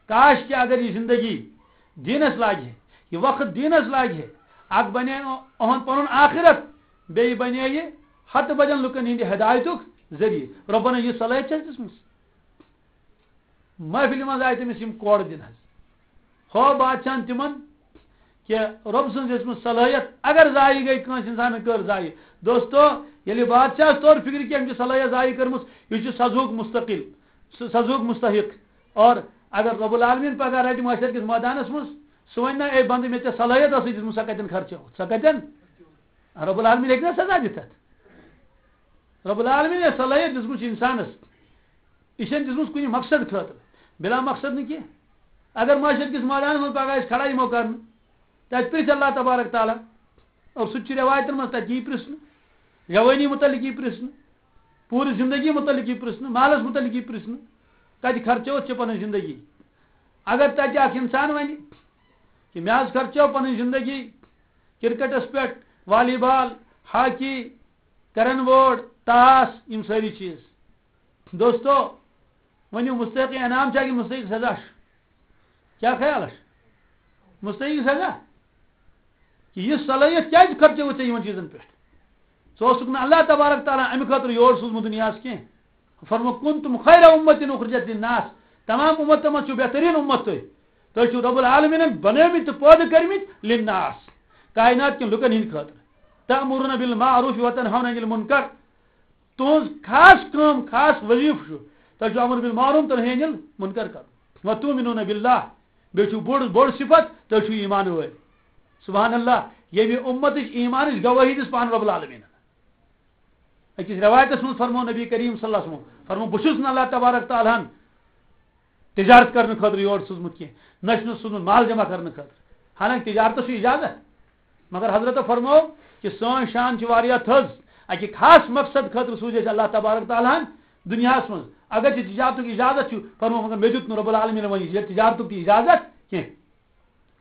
کاش کہِ اگر یہِ زندگی دیٖنَس لاگہِ ہے، یہِ وقت دیٖنَس لاگہِ ہے، اَکھ بَنے اُہُنٛد پَنُن آخرت، بیٚیہِ بَنے یہِ ہَتہٕ بَدٮ۪ن لُکَن ہِنٛدِ ہدایتُک ذٔریعہٕ۔ رۄبَن یہِ صلٲحیت چھَس دِژمٕژ۔ محفلہِ منٛز آیہِ تٔمِس یِم کورٕ دِنہٕ حظ۔ ہو بادشاہن تِمن کہِ رۄب سٕنٛز دِژمٕژ صلٲحیت اگر ضایع گٔے، کٲنٛسہِ اِنسانن کٔر ضایع۔ دوستو، ییٚلہِ بادشاہس توٚر فِکرِ کہِ أمۍ چھِ صلٲحیت ضایع کٔرمٕژ، یہِ چھُ سزہُک مستقل، سُہ سزہُک مستحق۔ اور اگر رب العالمین پگاہ رٹہِ محشر کِس مٲدانس منٛز، سُہ وَنہِ نہ، اے بندٕ، مےٚ ژےٚ صلٲحیت ٲسٕے دِژمٕژ، سۄ کتٮ۪ن خرچٲوٕتھ؟ سۄ کتٮ۪ن؟ رب العالمین ہیٚکہِ نہ سزا دِتھ اتھ؟ رب العالمین یۄس صلٲحیت دِژمٕژ چھِ انسانس، یہِ چھَنہٕ دِژمٕژ کُنہِ مقصد خٲطرٕ، بلا مقصد نہٕ کینٛہہ۔ اگر معاشر کِس مٲدانَس منٛز پگاہ أسۍ کھڑا یِمو کرنہٕ، تَتہِ پرٛژھِ اللہ تبارک تعالیٰ، اور سُہ تہِ چھُ رٮ۪وایتَن منٛز، تَتہِ یی پرٛژھنہٕ، جوٲنی متعلق یی پرٛژھنہٕ، پوٗرٕ زندگی متعلق یی پرٛژھنہٕ، مالَس متعلق یی پرٛژھنہٕ، کَتہِ خرچٲوٕتھ ژےٚ پَنٕنۍ زندگی؟ اگر تَتہِ اَکھ اِنسان وَنہِ کہِ مےٚ حظ خرچٲو پَنٕنۍ زندگی کرکٹَس پٮ۪ٹھ، والی بال، ہاکی، کیرم بورڈ، تاس، یِم سٲری چیٖز۔ دوستو، ؤنِو، مستحق انعام چھا کِنہٕ مستحق سزا چھُ؟ کیٛاہ خیال چھُ؟ مستحق سزا؟ یہِ صلٲحیت کیٛازِ خرچٲوٕتھ ژےٚ یِمن چیٖزن پٮ۪ٹھ؟ ژٕ اوسُکھ نہٕ اللہ تبارک تعالیٰ امہِ خٲطرٕ یور سوٗزمُت دُنیاہس کینٛہہ۔ فرمو، "کنتم خیر امت اخرجت للناس"، تمام امتو منٛز چھُو بہتریٖن امت تُہۍ۔ تُہۍ چھِو رب العالمینن بنٲومٕتۍ تہٕ پٲدٕ کٔرمٕتۍ للناس، کائنات کٮ۪ن لُکن ہٕنٛدِ خٲطرٕ۔ تأمرون بالمعروف وتنہون عن المنکر۔ تُہٕنٛز خاص کٲم، خاص وظیفہٕ چھُ، تۄہہِ چھُ امر بالمعروف تہٕ نہی عن المنکر کرُن۔ وتؤمنون باللہ، بیٚیہِ چھُ بوٚڑ، بوٚڑ صفت، تُہۍ چھِو ایمان وٲلۍ۔ سبحان اللہ، ییٚمہِ اُمتٕچ ایمانٕچ گوٲہی دِژ پانہٕ رب العالمین۔ أکِس رٮ۪وایتَس منٛز فرموو نبی کریم صلی اللہ علیہ وسلم، فرموو، "بہٕ چھُس نہٕ اللہ تبارک تعالیٰ ہن تجارت کرنہٕ خٲطرٕ یور سوٗزمُت کینٛہہ، نہ چھُس سوٗزمُت مال جمع کرنہٕ خٲطرٕ۔" حالانکہ تجارتَس چھُ اجازت، مگر حضرت فرموو کہِ سٲنۍ شان چھِ واریاہ تھٔز، اَکہِ خاص مقصد خٲطرٕ سوٗز اَسہِ اللہ تبارک تعالیٰ ہن دُنیاہَس منٛز۔ اگر چھِ تجارتُک اجازت چھُ، فرموو، مگر مےٚ دیُت نہٕ رب العالمین وۄنۍ یہِ تجارتُک تہِ اجازت کینٛہہ۔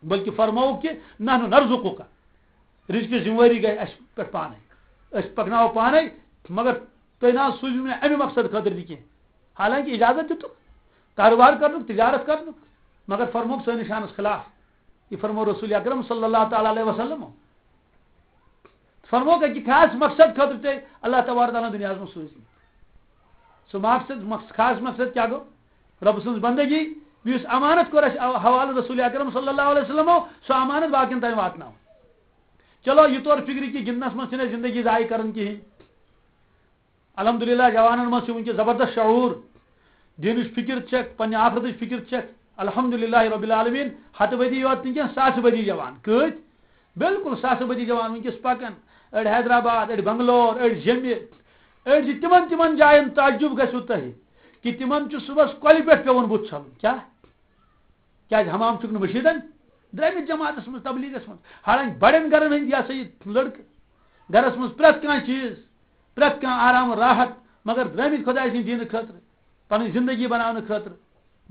بلکہ فرمووُکھ کہِ "نحن نرزقک"، رزقٕچ ذمہ وٲری گٔے اَسہِ پٮ۪ٹھ پانَے، أسۍ پَکناوو پانَے، مگر تُہۍ نہ حظ سوٗزِو مےٚ اَمہِ مقصد خٲطرٕ تہِ کینٛہہ۔ حالانکہ اجازت دِتُکھ کاروبار کرنُک، تجارت کرنُک، مگر فرمووُکھ سٲنِس شانَس خلاف۔ یہِ فرموو رسول اکرم صلی اللہ تعالیٰ علیہ وسلم۔ فرمووُکھ اَکہِ خاص مقصد خٲطرٕ تۄہہِ اللہ تبارک تعالیٰ ہن دُنیاہَس منٛز سوٗزمٕتۍ۔ سُہ مقصد، مقص-، خاص مقصد کیٛاہ گوٚو؟ رب سٕنٛز بندگی، یُس امانت کوٚر اَسہِ حوالہٕ رسول اکرم صلی اللہ علیہ وسلمو، سُہ امانت باقین تام واتناوُن۔ چلو، یہِ طور فکرِ کہِ گِنٛدنَس منٛز چھِنہٕ أسۍ زندگی ضایع کران کِہیٖنۍ۔ الحمدللہ، جوانن منٛز چھُ وٕنکیٚس زبردست شعور، دیٖنٕچ فکر چھکھ، پننہِ آخرتٕچ فکر چھکھ۔ الحمدللہ رب العالمین، ہتہٕ بدی یوت نہٕ کینٛہہ، ساسہٕ بدی جوان۔ کۭتۍ؟ بالکل ساسہٕ بدی جوان وٕنکیٚس پکان۔ أڑۍ حیدرآباد، أڑۍ بنگلور، أڑۍ جیٚمہِ، أڑۍ چھِ تِمن، تِمن جاین۔ تعجب گژھِوٕ تۄہہِ کہِ تِمن چھُ صُبحس کۄلہِ پٮ۪ٹھ پٮ۪وان بُتھ چھلُن۔ کیٛاہ؟ کیٛازِ حمام چھُکھ نہٕ مٔشیٖدن؟ درٛٲمٕتۍ جماعتس منٛز، تبلیغس منٛز۔ حالانکہِ بڑٮ۪ن گرن ہٕنٛدۍ، یہِ ہسا یہِ لڑکہٕ، گرس منٛز پرٛٮ۪تھ کانٛہہ چیٖز، پرٛٮ۪تھ کانٛہہ آرام و راحت، مگر درٛٲمٕتۍ خۄداے سٕنٛدِ دیٖنہٕ خٲطرٕ، پنٕنۍ زندگی بناونہٕ خٲطرٕ۔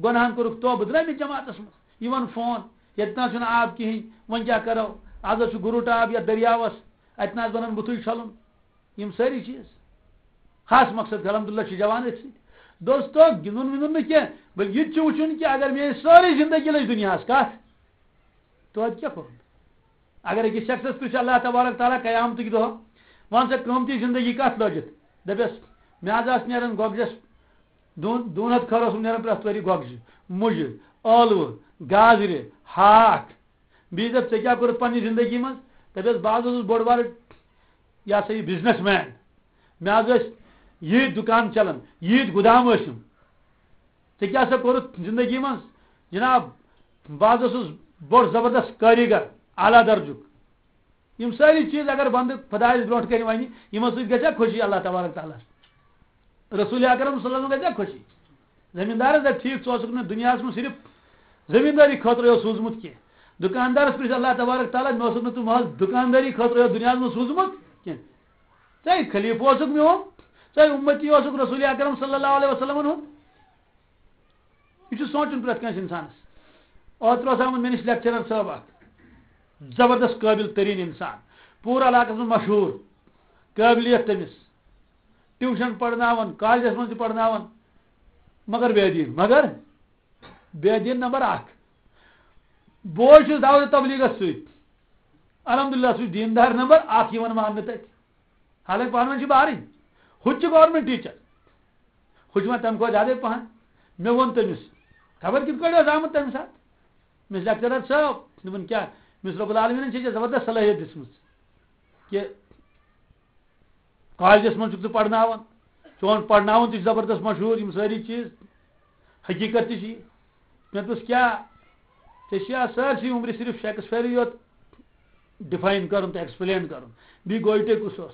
گۄناہن کوٚرُکھ توبہٕ، درٛٲمٕتۍ جماعتس منٛز۔ یِوان فون، "ییٚتہِ نہ حظ چھُنہٕ آب کِہیٖنۍ، وۄنۍ کیٛاہ کرو؟ از حظ چھُ گُرُٹ آب یتھ دٔریاوس، اتہِ نہ حظ بنن بُتھٕے چھلُن۔" یِم سٲری چیٖز۔ خاص مقصد، الحمدللہ، چھِ جوان أتھۍ سۭتۍ۔ دوستو، گِنٛدُن وِنٛدُن نہٕ کینٛہہ، بلکہِ یہِ تہِ چھُ وٕچھُن کہِ اگر میٛٲنۍ سٲرٕے زندگی لٔج دُنیاہَس، کَتھ؟ توتہِ کیٛاہ کوٚرُن؟ اگر أکِس شخصس پرٛژھِ اللہ تبارک تعالیٰ قیامتٕکۍ دۄہ، "وَن سا، قۭمتی زندگی کَتھ لٔجِتھ؟" دَپٮ۪س، "مےٚ حظ آسہٕ نیران گۄگجَس دوٗن، دوٗن ہَتھ کھٔر اوسُم نیران پرٛٮ۪تھ ؤری گۄگجہِ، مُجہِ، ٲلوٕ، گازرِ، ہاکھ۔" بیٚیہِ دَپ، "ژےٚ کیٛاہ کوٚرُتھ پنٛنہِ زندگی منٛز؟" دَپٮ۪س، "بہٕ حظ اوسُس بوٚڑ بارٕ، یہِ ہسا یہِ، بزنس مین۔ مےٚ حظ ٲسۍ ییٖتۍ دُکان چلان، ییٖتۍ گُدام ٲسِم۔ ژےٚ کیٛاہ سا کوٚرُتھ زندگی منٛز؟" "جناب، بہٕ حظ اوسُس بوٚڑ زبردست کٲریٖگر، اعلیٰ درجُک۔" یِم سٲری چیٖز اگر بندٕ خۄدایَس برونٛٹھ کَنہِ وَنہِ، یِمن سۭتۍ گژھِ ہا خوشی اللہ تبارک تعالیٰ ہَس۔ رسول اکرم صلی اللہ علیہ وسلم گژھِ ہا خوشی۔ زمیٖندارَس دَپہِ، "ٹھیٖک، ژٕ اوسُکھ نہٕ دُنیاہَس منٛز صرف زمیٖندٲری خٲطرٕ یوت سوٗزمُت کینٛہہ۔" دُکاندارَس پرٛژھِ اللہ تبارک تعالیٰ، "مےٚ اوسُکھ نہٕ ژٕ محض دُکاندٲری خٲطرٕ یوت دُنیاہَس منٛز سوٗزمُت کینٛہہ۔" ژے خلیفہٕ اوسُکھ میون، ژے اُمتی اوسُکھ رسول اکرم صلی اللہ علیہ وسلمن ہُنٛد۔ یہِ چھُ سونٛچُن پرٛٮ۪تھ کٲنٛسہِ اِنسانَس۔ اوترٕ اوس آمُت مےٚ نِش لیکچرر صٲب اکھ، زبردست قٲبِل تریٖن اِنسان، پوٗرٕ علاقَس منٛز مشہوٗر، قٲبلیت تٔمِس، ٹیوٗشن پرناوان، کالجس منٛز تہِ پرناوان، مگر بے دیٖن، مگر بے دیٖن نمبر اکھ۔ بوے چھُس دعوت تبلیغس سۭتۍ، الحمدللہ، سُہ چھُ دیٖندار نمبر اکھ یِوان ماننہٕ تتہِ۔ حالانکہ پانہٕ ؤنۍ چھِ بارٕنۍ۔ ہُہ تہِ چھُ گورنمنٹ ٹیٖچر، ہُہ چھُ وۄنۍ تَمہِ کھۄتہٕ زیادَے پَہَن۔ مےٚ ووٚن تٔمِس، خبر کِتھ پٲٹھۍ اوس آمُت تَمہِ ساتہٕ۔ مےٚ چھُ لیکچرر صٲب، دوٚپُن، کیٛاہ؟ مےٚ چھُس رۄب العالمیٖنَن چھےٚ ژےٚ زبردست صلٲحیت دِژمٕژ کہِ کالجَس منٛز چھُکھ ژٕ پَرناوان، چون پَرناوُن تہِ چھُ زبردست مشہوٗر، یِم سٲری چیٖز۔ حقیٖقت تہِ چھِ یہِ۔ مےٚ دوٚپُس، کیٛاہ؟ ژےٚ چھِ اَتھ سٲرسٕے عمرِ صرف شیکسپیرٕے یوت ڈِفاین کَرُن تہٕ ایکسپلین کَرُن۔ بیٚیہِ گویٹے کُس اوس؟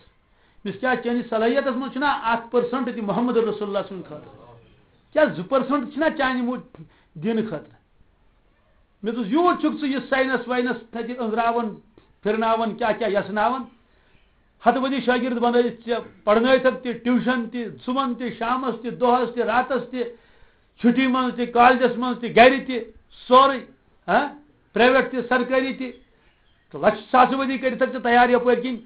مےٚ دوٚپُس، کیٛاہ چٲنِس صلٲحیتَس منٛز چھُنہ اکھ پٔرسنٹ تہِ محمد رسول اللہ سٕنٛدِ خٲطرٕ؟ کیٛاہ زٕ پٔرسنٹ چھِنہ چانہِ مو-، دینہٕ خٲطرٕ؟ مےٚ دوٚپُس، یوٗت چھُکھ ژٕ یہِ ساینس واینس تَتہِ أنٛزراوان، پھِرناوان، کیٛاہ کیٛاہ یَژھناوان؟ ہتہٕ بٔدی شٲگِرد بنٲوِتھ ژےٚ پرنٲوتھکھ تہِ، ٹیوٗشن تہِ، صُبحن تہِ، شامس تہِ، دۄہس تہِ، راتس تہِ، چھُٹی منٛز تہِ، کالجس منٛز تہِ، گرِ تہِ، سورُے، ہاں، پرایویٹ تہِ، سرکٲری تہِ۔ تہٕ لچھ ساسہٕ بٔدی کٔرِتھکھ ژےٚ تیار یپٲرۍ کِنۍ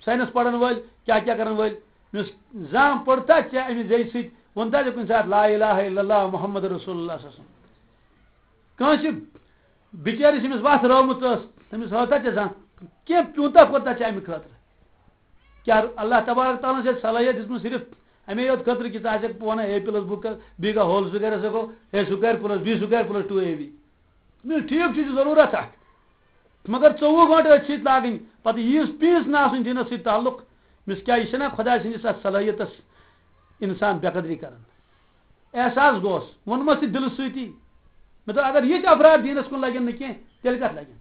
ساینس پرن وٲلۍ، کیٛاہ کیٛاہ کرن وٲلۍ۔ مےٚ اوس زانٛہہ پوٚرتھا ژےٚ امہِ زیٚیہِ سۭتۍ، ووٚنتھا ژےٚ کُنہِ ساتہٕ لا الہ الا اللہ محمد رسول اللہ صلی اللہ علیہ وسلم؟ کٲنٛسہِ بِچٲرِس ییٚمِس وَتھ رٲومٕژ ٲس، تٔمِس ہٲوتھا ژےٚ زانٛہہ کینٛہہ پیوٗنٛتاہ کوٚرتھا ژےٚ اَمہِ خٲطرٕ؟ کیٛاہ اللہ تبارک تعالیٰ ہَن چھےٚ صلٲحیت دِژمٕژ صرف اَمے یوت خٲطرٕ کہِ ژٕ آسَکھ پانہٕ اے پلس بُک کر، بیٚیہِ گژھِ ہول سکویرَس ہٮ۪کو A square plus B square plus two A B? نہ، ٹھیٖک چھُ، یہِ چھُ ضروٗرت اَکھ، مگر ژوٚوُہ گٲنٛٹہٕ أتھۍ سۭتۍ لاگٕنۍ، پَتہٕ ییٖژ پیٖس نہٕ آسٕنۍ دیٖنَس سۭتۍ تعلق، مِس کیٛاہ یہِ چھَنہ خۄداے سٕنٛدِس اَتھ صلٲحیتَس اِنسان بے قدری کَران؟ احساس گوس، ووٚنمَس تہِ دِلہٕ سۭتی۔ مےٚ دوٚپ، اگر یِتھۍ افراد دیٖنَس کُن لَگن نہٕ کینٛہہ، تیٚلہِ کَتھ لَگن؟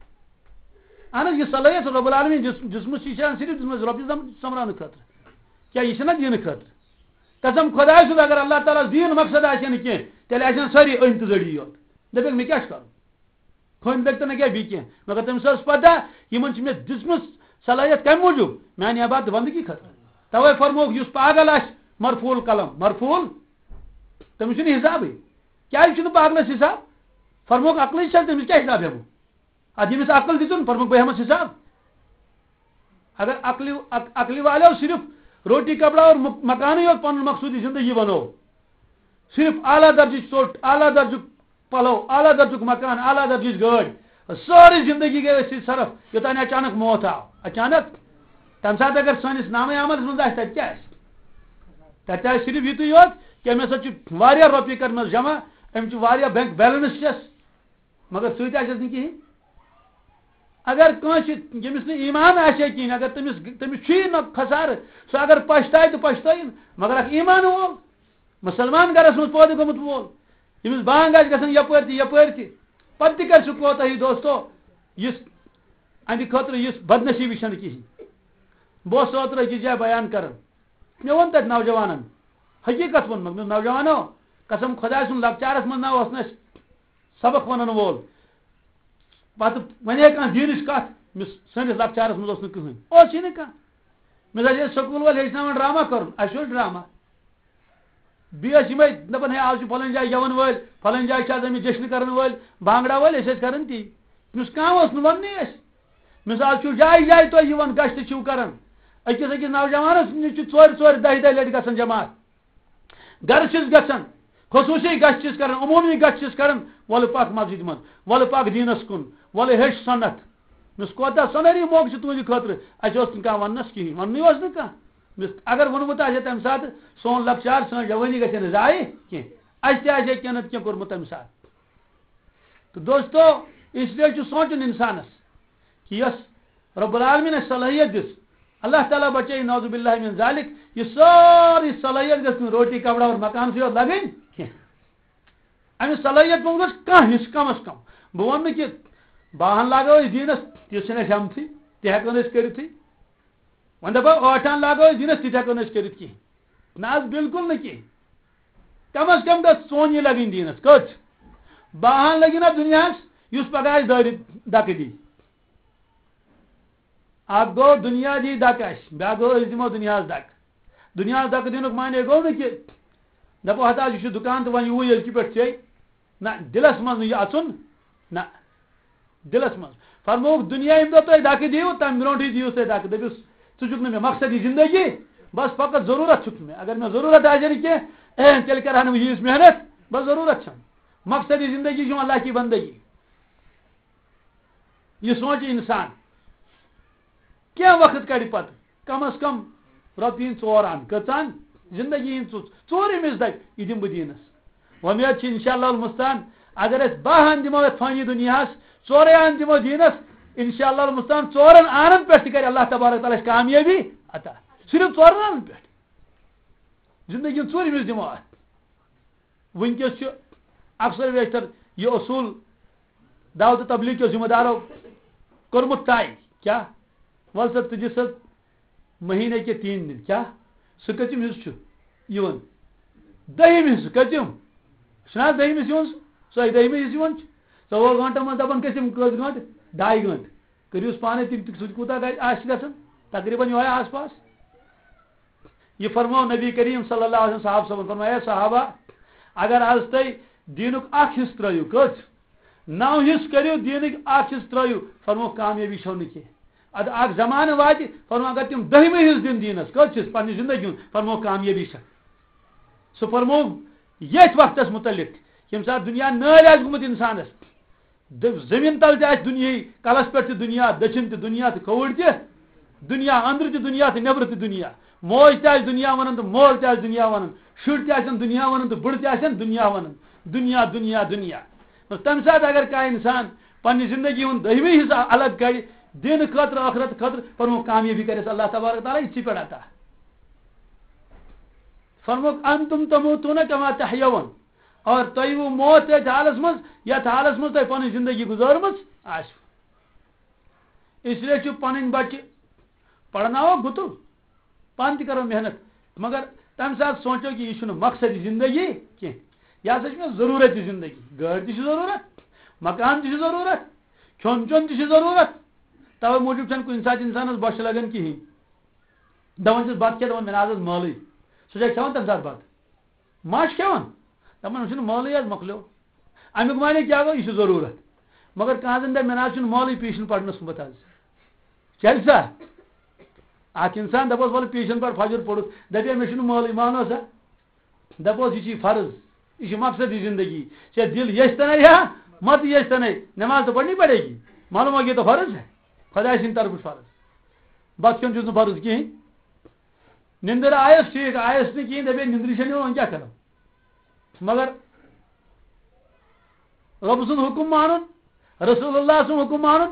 اہن حظ، یہِ صلٲحیت رۄب العالمیٖن دِژ-، دِژمٕژ، یہِ چھِ اَسہِ صرف دِژمٕژ رۄبہِ زم-، سۄمبراونہٕ خٲطرٕ۔ کیٛاہ یہِ چھَنہ دیٖنہٕ خٲطرٕ؟ قسم خۄداے سُنٛد، اگر اللہ تعالیٰ ہَس دیٖن مقصد آسہِ ہا نہٕ کینٛہہ، تیٚلہِ آسہِ ہَن سٲری أنۍ تہٕ زٔڑی یوت۔ دَپٮ۪کھ، مےٚ کیٛاہ چھُ کَرُن؟ کھوٚنۍ لٔگۍ تہٕ نہ کیٛاہ بیٚیہِ کینٛہہ، مگر تٔمِس ٲس پَتہ، یِمَن چھِ مےٚ دِژمٕژ صلٲحیت کَمہِ موٗجوٗب؟ میٛانہِ عبادت بندگی خٲطرٕ۔ تَوَے فرمووُکھ، یُس پاگل آسہِ، مرفوع القلم، مرفوع، تٔمِس چھُنہٕ حسابٕے۔ کیٛازِ چھُنہٕ پاگلَس حساب؟ فرمووُکھ، عقلٕے چھَنہٕ، تٔمِس کیٛاہ حساب ہٮ۪مو؟ اَدٕ ییٚمِس عقل دِژٕن، فرمووُکھ، بہٕ ہٮ۪مَس حساب۔ اگر عقلہِ، عق-، عقلہِ والیو صرف روٹی کپڑا اور مک-، مکانٕے یوت پَنُن مقصوٗدی زندگی بنوو، صرف اعلیٰ درجٕچ ژوٚٹ، اعلیٰ درجُک پلو، اعلیٰ درجُک مکان، اعلیٰ درجٕچ گٲڑۍ، سٲرٕے زندگی گٔے أتھۍ سۭتۍ صرف، یوٚتام اچانک موت آو۔ اچانک، تَمہِ ساتہٕ اگر سٲنِس نامہ عملس منٛز آسہِ، تَتہِ کیٛاہ آسہِ؟ تَتہِ آسہِ صرف یِتُے یوت کہِ أمۍ ہسا چھِ واریاہ رۄپیہِ کٔرمٕژ جمع، أمۍ چھِ واریاہ بینک بیلنس چھَس، مگر سۭتۍ آسٮ۪س نہٕ کِہیٖنۍ۔ اگر کٲنٛسہِ، ییٚمِس نہٕ ایمان آسہِ ہے کِہیٖنۍ، اگر تٔمِس، تٔمِس چھُ یہِ نہ خسارٕ، سُہ اگر پَشتاوِ تہٕ پَشتٲیِن، مگر اکھ ایمان وول، مُسلمان گرس منٛز پٲدٕ گوٚمُت وول، ییٚمِس بانگ آسہِ گژھان یپٲرۍ تہِ یپٲرۍ تہِ، پتہٕ تہِ کرِ سُہ کوتاہی، دوستو، یُس اَمہِ خٲطرٕ یُس بدنصیٖبی چھَنہٕ کِہیٖنۍ۔ بہٕ اوسُس اوترٕ أکِس جایہِ بیان کران، مےٚ ووٚن تَتہِ نوجوانن، حقیٖقت ووٚنمَکھ، مےٚ دوٚپ، نوجوانو، قسم خۄداے سُنٛد، لۄکچارس منٛز نہ اوس نہٕ اَسہِ سبق وَنَن وول۔ پَتہٕ وَنے کانٛہہ دیٖنٕچ کَتھ، مِس-، سٲنِس لۄکچارَس منٛز اوس نہٕ کٕہٕنۍ۔ اوس یہِ نہٕ کانٛہہ۔ مِثال، ییٚلہِ سکوٗل وٲلۍ ہیٚچھناوان ڈرٛاما کَرُن، اَسہِ اوس ڈرٛاما۔ بیٚیہِ ٲسۍ یِمَے دَپان، ہے، آز چھُ فَلٲنۍ جایہِ گٮ۪وَن وٲلۍ، فَلٲنۍ جایہِ چھِ آز أمِس جشنہٕ کَرَن وٲلۍ، بانٛگڑا وٲلۍ، أسۍ ٲسۍ کَران تی۔ تٔمِس کانٛہہ اوس نہٕ وَننٕے اَسہِ۔ مِثال چھُو جایہِ جایہِ تۄہہِ یِوان، گَشتہٕ چھِو کَران۔ أکِس أکِس نوجوانَس نِش چھِ ژورِ ژورِ دَہہِ دَہہِ لَٹہِ گژھان جماعت۔ گرٕ چھِس گژھان، خصوٗصی گژھِ چھِس کران، عموٗمی گژھِ چھِس کران، وَلہٕ پَکھ مسجد منٛز، وَلہٕ پَکھ دیٖنَس کُن، وَلہٕ ہیٚچھ سُنت۔ مےٚ کوٗتاہ سۄنہری موقعہٕ چھُ تُہٕنٛدِ خٲطرٕ، اَسہِ اوس نہٕ کانٛہہ وَننَس کِہیٖنۍ، وَننُے اوس نہٕ کانٛہہ۔ مےٚ اگر ووٚنمُت آسہِ ہے تَمہِ ساتہٕ، سون لۄکچار، سٲنۍ جوٲنی گژھِ ہے نہٕ ضایع کینٛہہ، اَسہِ تہِ آسہِ ہے کینٛہہ نَتہٕ کینٛہہ کوٚرمُت تَمہِ ساتہٕ۔ تہٕ دوستو، اس لیے چھُ سونٛچُن اِنسانَس کہِ یۄس رب العالمین اَسہِ صلٲحیت دِژ، اللہ تعالیٰ بچٲیِن نعوذ باللہ من ذالک، یہِ سٲرٕے صلٲحیت گٔژھ نہٕ روٹی کپڑا اور مکانسٕے یوت لگٕنۍ کینٛہہ۔ اَمہِ صلٲحیت منٛز گوٚژھ کانٛہہ حصہٕ کم از کم۔ بہٕ وَنہٕ نہٕ کہِ باہن لاگو أسۍ دیٖنس، تہِ چھِنہٕ اَسہِ ہٮ۪متھٕے، تہِ ہٮ۪کو نہٕ أسۍ کٔرِتھٕے۔ وۄنۍ دَپو ٲٹھن لاگو أسۍ دیٖنس، تہِ تہِ ہٮ۪کو نہٕ أسۍ کٔرِتھ کِہیٖنۍ۔ نہ حظ، بِلکُل نہٕ کِہیٖنۍ۔ کم از کم گٔژھ ژونۍ یہِ لگٕنۍ دیٖنس۔ کٔژ؟ باہن لٔگِو نہ دُنیاہس، یُس پگاہ اَسہِ دٲرِتھ دکہٕ دی۔ اکھ گوٚو دُنیا دی دکہٕ اَسہِ، بیٛاکھ گوٚو أسۍ دِمو دُنیاہَس دکہٕ۔ دُنیاہَس دَکہٕ دِنُک معنی گوٚو نہٕ کہِ دَپو ہتا یہِ چھُ دُکان تہٕ وۄنۍ یِیِو ییٚلہِ کہِ پٮ۪ٹھ ژےٚ۔ نہ، دِلَس منٛز نہٕ یہِ اَژُن۔ نہ، دِلَس منٛز۔ فرمووُکھ، دُنیا ییٚمہِ دۄہ تۄہہِ دَکہٕ دِیِو، تَمہِ برونٛٹھٕے دِیِو تُہۍ دَکہٕ۔ دٔپِس، ژٕ چھُکھ نہٕ مےٚ مقصدی زِندگی، بَس فقط ضروٗرت چھُکھ نہٕ مےٚ۔ اگر مےٚ ضروٗرت آسہِ نہٕ کینٛہہ، اے، تیٚلہِ کَرٕ ہا نہٕ بہٕ ییٖژ محنت، بَس ضروٗرت چھَم۔ مقصدی زِندگی چھُ اللہ کی بندگی۔ یہِ سونٛچہِ اِنسان، کینٛہہ وقت کَڑِ پَتہٕ، کم از کم رۄپیہِ ہِنٛدۍ ژور اَن، کٔژ اَن؟ زِندگی ہِنٛدۍ ژو-، ژوٗرِم حِصہٕ دَپہِ، یہِ دِمہٕ بہٕ دیٖنَس۔ وۄمید چھِ اِنشاء اللہ المستعان، اگر أسۍ باہ اَن دِمو یَتھ فٲنی دُنیاہَس، ژورَے اَن دِمو دیٖنَس، اِنشاء اللہ المستعان، ژورَن آنَن پٮ۪ٹھ تہِ کَرِ اللہ تبارک تعالیٰ اَسہِ کامیٲبی عطا۔ صرف ژورَن آنَن پٮ۪ٹھ۔ زِندگی ہُنٛد ژوٗرِم حِصہٕ دِمو اَتھ۔ وٕنکیٚس چھُ اکثر بیشتر یہِ اصوٗل دعوت تبلیغ کیو ذمہ دارو کوٚرمُت طے۔ کیٛاہ؟ وَل سا، ژٕ دِ سا مہیٖنے کے تین دِن۔ کیٛاہ؟ سُہ کٔژِم حِصہٕ چھُ یِوان؟ دٔہِم حِصہٕ۔ کٔژِم؟ چھُنہ حظ دٔہِم حِصہٕ یِوان؟ سُہ ہے دٔہِمہِ حِصہٕ یِوان چھُ۔ ژۄوُہ گٲنٛٹَن منٛز دَپان کٔژِم، کٔژ گٲنٛٹہٕ؟ ڈاے گٲنٛٹہٕ۔ کٔرِوس پانَے تِم تہِ، سُہ تہِ کوٗتاہ گژھِ، آسہِ گژھان؟ تقریٖباً یِہوٚے آس پاس۔ یہِ فرموو نبی کریم صلی اللہ علیہ وسلم صحابہ صٲبن، فرمایا، صحابہ، اگر از تۄہہِ دیٖنُک اکھ حصہٕ ترٲیِو، کٔژ؟ نو حصہٕ کٔرِو، دیٖنٕکۍ اکھ حصہٕ ترٲیِو، فرموو، کامیٲبی چھو نہٕ کینٛہہ۔ ادٕ اکھ زمانہٕ واتہِ، فرموو، اگر تِم دٔہمہِ حصہٕ دِن دیٖنس، کٔژ حصہٕ پننہِ زندگی ہُنٛد، فرموو، کامیٲبی چھےٚ۔ سُہ فرموو ییٚتھۍ وقتس متعلق، ییٚمہِ ساتہٕ دُنیا نٲلۍ آسہِ گوٚمُت انسانس، د-، زمین تل تہِ آسہِ دُنیاہٕے، کلس پٮ۪ٹھ تہِ دُنیا، دٔچھِنۍ تہِ دُنیا تہٕ کھووُر تہِ دُنیا، أنٛدرٕ تہِ دُنیا تہٕ نیٚبرٕ تہِ دُنیا۔ موج تہِ آسہِ دُنیا ونان تہٕ مول تہِ آسہِ دُنیا ونان، شُرۍ تہِ آسن دُنیا ونان تہٕ بٕڑٕ تہِ آسن دُنیا ونان۔ دُنیا، دُنیا، دُنیا۔ تمہِ ساتہٕ اگر کانٛہہ انسان پننہِ زندگی ہُنٛد دٔہمہِ حصہٕ الگ کڑِ دینہٕ خٲطرٕ، ٲخرت خٲطرٕ، پنُن کامیٲبی کرٮ۪س اللہ تبارک تعالیٰ یِتھسٕے پٮ۪ٹھ عطا۔ فرموک، انتم تموتون کما تحیون۔ اور تۄہہِ یِیِو موت تٔتھۍ حالس منٛز، یتھ حالس منٛز تۄہہِ پنٕنۍ زندگی گُزٲرمٕژ آسہِ۔ اس لیے چھُ پنٕنۍ بچہِ پرناوو گُتُل، پانہٕ تہِ کرو محنت، مگر تمہِ ساتہٕ سونٛچو کہِ یہِ چھُنہٕ مقصدی زندگی کینٛہہ۔ یہِ ہسا چھِ مےٚ ضروٗرت یہِ زندگی۔ گٲڑۍ تہِ چھِ ضروٗرت، مکان تہِ چھُ ضروٗرت، کھیوٚن چیوٚن تہِ چھُ ضروٗرت۔ توے موٗجوٗب چھَنہٕ کُنہِ ساتہٕ انسانس بۄچھِ لگان کِہیٖنۍ۔ دپان چھِس، بتہٕ کھےٚ؟ دپان، مےٚ نہ حظ ٲس مٲلٕے۔ سُہ چھا کھٮ۪وان تمہِ ساتہٕ بتہٕ؟ ما چھُ کھٮ۪وان؟ دَپان، "أمِس چھُنہٕ مٲلٕے حظ، مۄکلیو۔" اَمیُک معنی کیٛاہ گوٚو؟ یہِ چھُ ضروٗرت۔ مگر کانٛہہ زَن دَپہِ، "مےٚ نہ حظ چھُنہٕ مٲلٕے پیٖشِن پَرنَس سُمبَتھ حظ۔" کیٛازِ سا؟ اَکھ اِنسان دَپوس، "وَلہٕ پیٖشِن پَر، فجر پوٚرُتھ۔" دَپہِ، "مےٚ چھُنہٕ مٲلٕے، مانو سا؟" دَپوس، "یہِ چھِ فرض، یہِ چھِ مقصدی زندگی۔ ژےٚ دِل یَژھِ تَنے یا مَتہٕ یَژھِ تَنے، نٮ۪ماز تو پَرنی پڑے گی، معلوم ہو یہ تو فرض ہے، خۄداے سٕنٛدِ طرفہٕ فرض۔ بَتہٕ کھیوٚن چھُس نہٕ فرض کِہیٖنۍ۔" نِندٕر آیَس ٹھیٖک، آیَس نہٕ کِہیٖنۍ، دَپے، "نِندرِ چھَنہٕ یِوان، وۄنۍ کیٛاہ کَرو؟" مگر رۄب سُنٛد حُکُم مانُن، رسول اللہ سُنٛد حُکُم مانُن،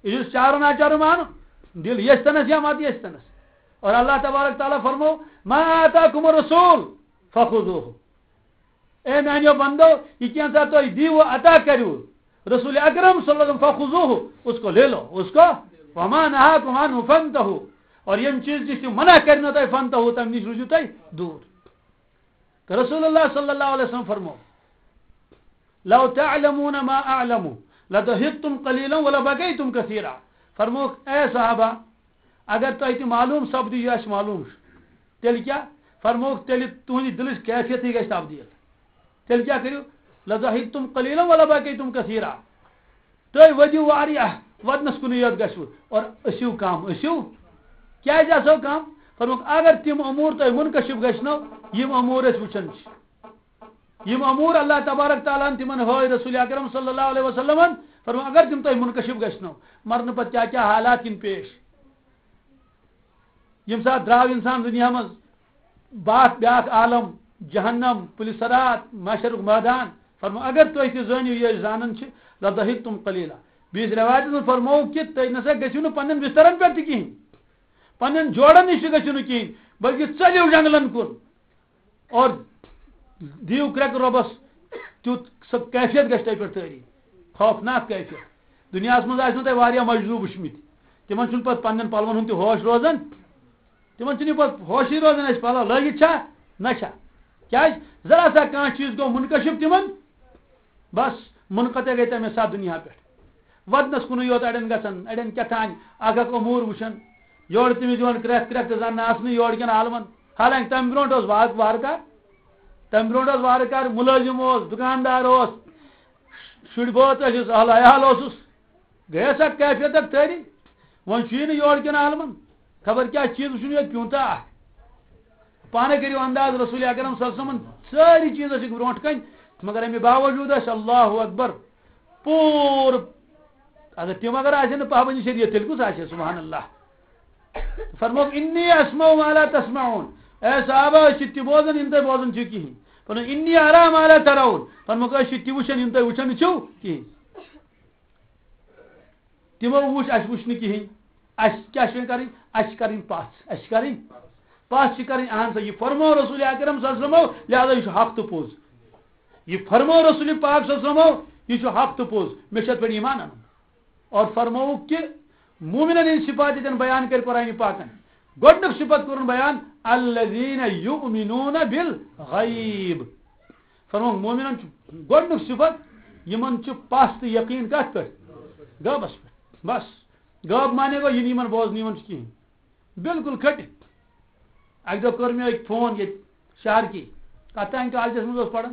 یہِ چھُ چارو ناچارو مانُن، دِل یَژھِ تَنَس یا مَتہٕ یَژھِ تَنَس۔ اور اللہ تبارک تعالیٰ فرمو، "ما آتاکم الرسول فخذوہ۔" اے میانیو بندو، یہ کینٛژھا تۄہہِ دیٖوٕ عطا کٔرِو رسول اکرم صلی اللہ علیہ وسلم، فخذوہ، اس کو لے لو، اس کو، وما نہاکم عنہ فانتہو، اور یم چیز نش تم منع کرنو تۄہہِ، فانتہو، تم نش روٗزِو تۄہہِ دوٗر۔ تہٕ رسول اللہ صلی اللہ علیہ وسلم فرمو، لو تعلمون ما اعلم لضحکتم قلیلا ولبکیتم کثیرا۔ فرموکھ، اے صحابہ، اگر تۄہہِ تہِ معلوم سپدِ یہِ اَسہِ معلوم چھُ، تیٚلہِ کیٛاہ؟ فرمووُکھ، تیٚلہِ تُہٕنٛدِ دِلٕچ کیفیتٕے گژھِ تبدیٖل۔ تیٚلہِ کیٛاہ کٔرِو؟ لضحکتم قلیلا ولبکیتم کثیرا۔ تُہۍ ؤدِو واریاہ، وَدنَس کُنُے یوت گژھِوٕ، اور ٲسِو کم، ٲسِو۔ کیٛازِ آسو کم؟ فرمووُکھ، اگر تِم امور تۄہہِ منکشف گژھنو، یِم امور أسۍ وٕچھان چھِ۔ یِم امور اللہ تبارک تعالیٰ ہن تِمن ہٲوۍ رسول اکرم صلی اللہ علیہ وسلمن، فرموو، اگر تِم تۄہہِ منکشف گژھنو، مرنہٕ پتہٕ کیٛاہ کیٛاہ حالات یِن پیش۔ ییٚمہِ ساتہٕ درٛاو اِنسان دُنیا منٛز، باکھ بیٛاکھ عالم، جہنم، پُلہِ صراط، محشرُک مٲدان، فرموو، اگر تُہۍ تہِ زٲنِو، یہِ أسۍ زانان چھِ، لضحکتم قلیلا۔ بیٚیِس رٮ۪وایتَس منٛز فرمووُکھ کہِ تُہۍ نہ سا گٔژھِو نہٕ پنٛنٮ۪ن بِسترَن پٮ۪ٹھ تہِ کِہیٖنۍ، پنٛنٮ۪ن جوڑَن نِش تہِ گٔژھِو نہٕ کِہیٖنۍ، بلکہِ ژٔلِو جنٛگلَن کُن۔ اور دِیِو کرٛٮ۪کہٕ رۄبَس، تیُتھ سۄ کیفیت گژھِ تۄہہِ پٮ۪ٹھ طٲری، خوفناک کیفیت۔ دُنیاہَس منٛز آسِنو تۄہہِ واریاہ مجذوٗب وٕچھمٕتۍ، تِمَن چھُنہٕ پَتہٕ پنٛنٮ۪ن پَلوَن ہُنٛد تہِ ہوش روزان، تِمَن چھُنہٕ یہِ پَتہٕ ہوشٕے روزان، اَسہِ پَلو لٲگِتھ چھا نہ چھا۔ کیٛازِ؟ ذرا سا کانٛہہ چیٖز گوٚو منکشف تِمَن، بس، منقطع گٔے تَمے ساتہٕ دُنیا پٮ۪ٹھ۔ وَدنَس کُنُے یوت اَڑٮ۪ن گژھان، اَڑٮ۪ن کیٛاہ تام اَکھ اَکھ امور وٕچھان، یورٕ تٔمِس یِوان کرٛٮ۪کھ کرٛٮ۪کھ تہٕ زَن ناسنہٕ یورٕ کٮ۪ن عالمَن۔ حالانکہ تَمہِ برونٛٹھ اوس وارٕ وارٕ کار، تَمہِ برونٛٹھ اوس وارٕ کار، مُلٲزِم اوس، دُکاندار اوس، شُرۍ بٲژ ٲسِس، اہل عیال اوسُس۔ گٔیَس اَتھ کیفیت اَتھ تٲری۔ وۄنۍ چھُ یہِ نہٕ یورٕ کٮ۪ن عالمَن۔ خبر کیٛاہ چیٖز وٕچھُن یوت پیوٗنٛتاہ اَکھ۔ پانَے کٔرِو انداز، رسول اکرم صلی اللہ علیہ وسلمن سٲری چیٖز ٲسِکھ برونٛٹھ کَنہِ، مگر اَمہِ باوجوٗد ٲسۍ اللہ اکبر پوٗرٕ۔ اگر تِم اگر آسن نہٕ پابندی شریعت، تیٚلہِ کُس آسہِ؟ سبحان اللہ۔ فرمووُکھ، "انی اسمع ما لا تسمعون"۔ اے صحابہ، أسۍ چھِ تہِ بوزان، یِم تُہۍ بوزان چھِو کِہیٖنۍ۔ فرمووُکھ، "انی ارا ما لا ترون"۔ فرمووُکھ، "أسۍ چھِ تہِ وٕچھان، یِم تُہۍ وٕچھان نہٕ چھِو کِہیٖنۍ۔" تِمو وٕچھ، اَسہِ وٕچھ نہٕ کِہیٖنۍ۔ اَسہِ کیٛاہ چھِ وۄنۍ کَرٕنۍ؟ اَسہِ چھِ کَرٕنۍ پَژھ، اَسہِ چھِ کَرٕنۍ پَژھ چھِ کَرٕنۍ۔ اَہَن سا، یہِ فرموو رسول اکرم صلی اللہ علیہ وسلمو، لہذا یہِ چھُ حق تہٕ پوٚز۔ یہِ فرموو رسول پاک صلی اللہ علیہ وسلمو، یہِ چھُ حق تہٕ پوٚز، مےٚ چھُ اَتھ پٮ۪ٹھ ایمان اَنُن۔ اور فرمووُکھ کہِ مومنن ہٕنٛدۍ صفات ییٚتٮ۪ن بیان کٔرۍ قرآنِ پاکن، گۄڈٕنیُک صفت کوٚرُن بیان، "الذین یؤمنون بالغیب"۔ فرمووُکھ، مومنن چھُ گۄڈٕنیُک صفت، یِمن چھُ پَژھ تہٕ یقین کَتھ پٮ۪ٹھ؟ غٲبس پٮ۪ٹھ۔ بس، غٲب معنی گوٚو، یہِ نہٕ یِمن بوزنہٕ یِوان چھُ کِہیٖنۍ۔ بالکل کھٔٹِتھ۔ اَکہِ دۄہ کٔر مےٚ أکۍ فون ییٚتہِ شہرکی، کَتھ تام کالجَس منٛز اوس پَران۔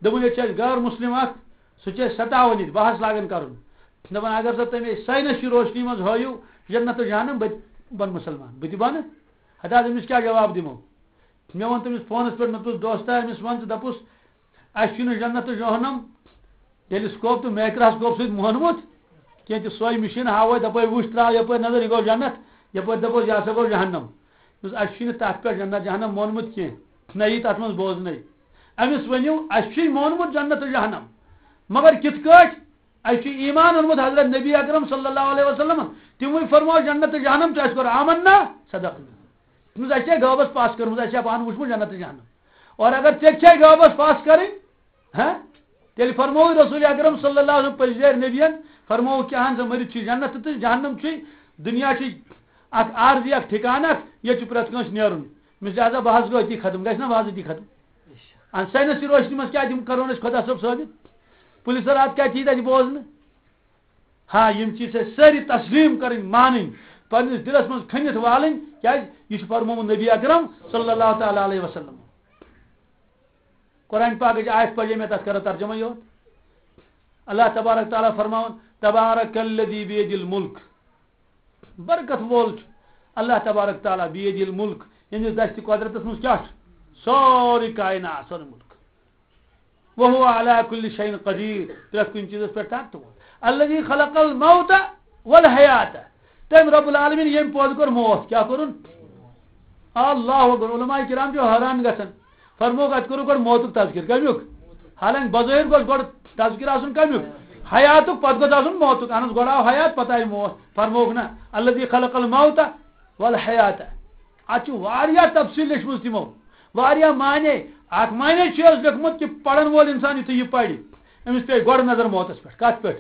دوٚپُن، "ییٚتہِ چھِ اَسہِ غٲر مُسلِم اَکھ، سُہ چھُ اَسہِ سَتاوان ییٚتہِ، بحث لاگان کَرُن۔ دَپان، اگر سا تُہۍ مےٚ ساینَس چہِ روشنی منٛز ہٲیِو جنت تہٕ جہنم، بہٕ تہِ بَنہٕ مُسلمان، بہٕ تہِ بَنہٕ۔" ہَتہٕ حظ أمِس کیٛاہ جواب دِمو؟ مےٚ ووٚن تٔمِس فونَس پٮ۪ٹھ، مےٚ دوٚپُس، "دوستا"، أمِس وَن ژٕ، دَپُس، اَسہِ چھُنہٕ جنت تہٕ جہنم ٹیلیسکوپ تہٕ مایکراسکوپ سۭتۍ مونمُت کینٛہہ، تہِ سۄے مِشیٖن ہاوو، دَپو، "وٕچھ، ترٛاو یَپٲرۍ نظر، یہِ گوٚو جنت، یَپٲرۍ دَپوس، یہِ ہسا گوٚو جہنم۔" یُس اَسہِ چھُنہٕ تَتھ پٮ۪ٹھ جنت جہنم مونمُت کینٛہہ، نہ یی تَتھ منٛز بوزنَے۔ أمِس ؤنِو، اَسہِ چھُے مونمُت جنت تہٕ جہنم، مگر کِتھ کٲٹھۍ؟ اَسہِ چھُ ایمان اوٚنمُت حضرت نبی اکرم صلی اللہ علیہ وسلم، تِموٕے فرموو جنت تہٕ جہنم، تہٕ اَسہِ کوٚر آمنا، صدقنا۔ تٔمِس اَسہِ چھےٚ غٲبَس پَژھ کٔرمٕژ، اَسہِ چھےٚ پانہٕ وٕچھمُت جنت تہٕ جہنم۔ اور اگر ژےٚ چھےٚ غٲبَس پَژھ کَرٕنۍ، ہاں؟ تیٚلہِ فرمووُے رسول اکرم صلی اللہ علیہ وسلم، پٔزۍ جٲرۍ نبیَن فرمووُکھ، کہِ اہن سا، مٔرِتھ چھِ جنت تہٕ جہنم چھُے، دُنیا چھُے اکھ عارضی، اکھ ٹھِکانہٕ اکھ، ییٚتہِ چھُ پرٛٮ۪تھ کٲنٛسہِ نیرُن۔ مےٚ چھُ لہذا بہٕ حظ گوٚو أتی ختم، گژھِ نہ وازٕ أتی ختم؟ اَہن، ساینس چہِ روشنی منٛز کیٛاہ دِم، کرون أسۍ خۄدا صٲب ثٲبت؟ پُلسَر اَتھ کیٛاہ چیٖز اَتہِ بوزنہٕ؟ ہاں، یِم چیٖز چھِ اَسہِ سٲری تسلیٖم کَرٕنۍ، مانٕنۍ، پنٛنِس دِلَس منٛز کھٔنِتھ والٕنۍ، کیٛازِ یہِ چھُ فرمومُت نبی اکرم صلی اللہ تعالیٰ علیہ وسلم۔ قرآن پاکٕچ آیت پَرے مےٚ، تَتھ کَرو ترجمہ یوت۔ اللہ تبارک تعالیٰ فرماوان، "تبارک الذی بیدِ الملک"۔ برکت وول چھُ اللہ تبارک تعالیٰ، بیدِ الملک، ییٚمِس دستِ قۄدرتَس منٛز کیٛاہ چھُ؟ سورُے کائنات، سورُے مُلک۔ وہو علی کل شیء قدیر، پرٛٮ۪تھ کُنہِ چیٖزَس پٮ۪ٹھ طاقت وول۔ الذی خلق الموت والحیات، تٔمۍ رب العالمین ییٚمۍ پٲدٕ کوٚر موت، کیٛاہ کوٚرُن؟ اللہ اکبر۔ علماء کرام چھِ حٲران گژھان۔ فرمووُکھ، اَتہِ کوٚرُکھ گۄڈٕ موتُک تذکر۔ کَمیُک؟ حالانکہِ بظٲہِر گوٚژھ گۄڈٕ تذکر آسُن کَمیُک؟ حیاتُک، پَتہٕ گوٚژھ آسُن موتُک۔ اَہن حظ، گۄڈٕ آو حیات، پَتہٕ آیہِ موت۔ فرمووُکھ نہ، الذی خلق الموت والحیات۔ اَتھ چھُ واریاہ تفصیٖل لیٚچھمٕژ تِمو، واریاہ معنی۔ اَکھ معنی چھُ حظ لیوٚکھمُت کہِ پَرَن وول اِنسان یُتھُے یہِ پَرِ، أمِس پیٚیہِ گۄڈٕ نظر موتَس پٮ۪ٹھ۔ کَتھ پٮ۪ٹھ؟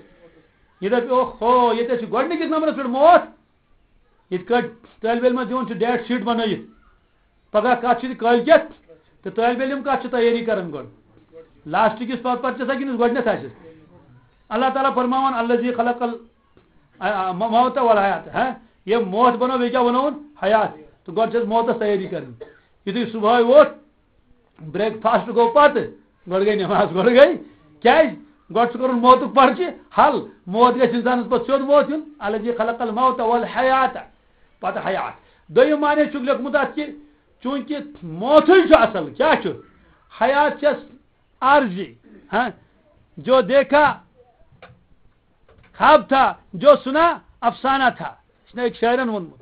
یہِ دَپہِ، "اوہ ہو، ییٚتہِ حظ چھُ گۄڈٕنِکِس نمبرَس پٮ۪ٹھ موت۔" یِتھ کٲٹھۍ طٲلبہِ علمَس دِوان چھُ ڈیٹ شیٖٹ بَنٲیِتھ، پگاہ کَتھ چھِ تہٕ کٲلۍ کٮ۪تھ، تہٕ طٲلبہِ علم کَتھ چھِ تیٲری کَران گۄڈٕ؟ لاسٹٕکِس پَتہٕ پَتہٕ چھِ آسان کِنہٕ گۄڈٕنٮ۪تھ آسٮ۪س؟ اللہ تعالیٰ فرماوان، "الذی خلق ال-، آ، آ، موت والحیات"، ہہ؟ ییٚمۍ موت بَنوو، بیٚیہِ کیٛاہ بَنووُن؟ حیات۔ تہٕ گۄڈٕ چھِ اَسہِ موتَس تیٲری کَرٕنۍ۔ یُتھُے صُبحٲے ووٚتھ، بریک فاسٹ گوٚو پَتہٕ، گۄڈٕ گٔے نٮ۪ماز، گۄڈٕ گٔے۔ کیٛازِ؟ گۄڈٕ چھُ کَرُن موتُک پرچہِ حل۔ موت گژھِ اِنسانَس پَتہٕ سیوٚد موت یُن۔ الذی خلق الموت والحیات، پَتہٕ حیات۔ دوٚیِم معنی چھُکھ لیوٚکھمُت اَتھ کہِ چوٗنٛکہِ موتھٕے چھُ اَصٕل، کیٛاہ چھُ؟ حیات چھَس عارضی، ہاں؟ جو دیکھا خواب تھا، جو سنا افسانہ تھا۔ یہِ چھُ أکۍ شٲعرَن ووٚنمُت۔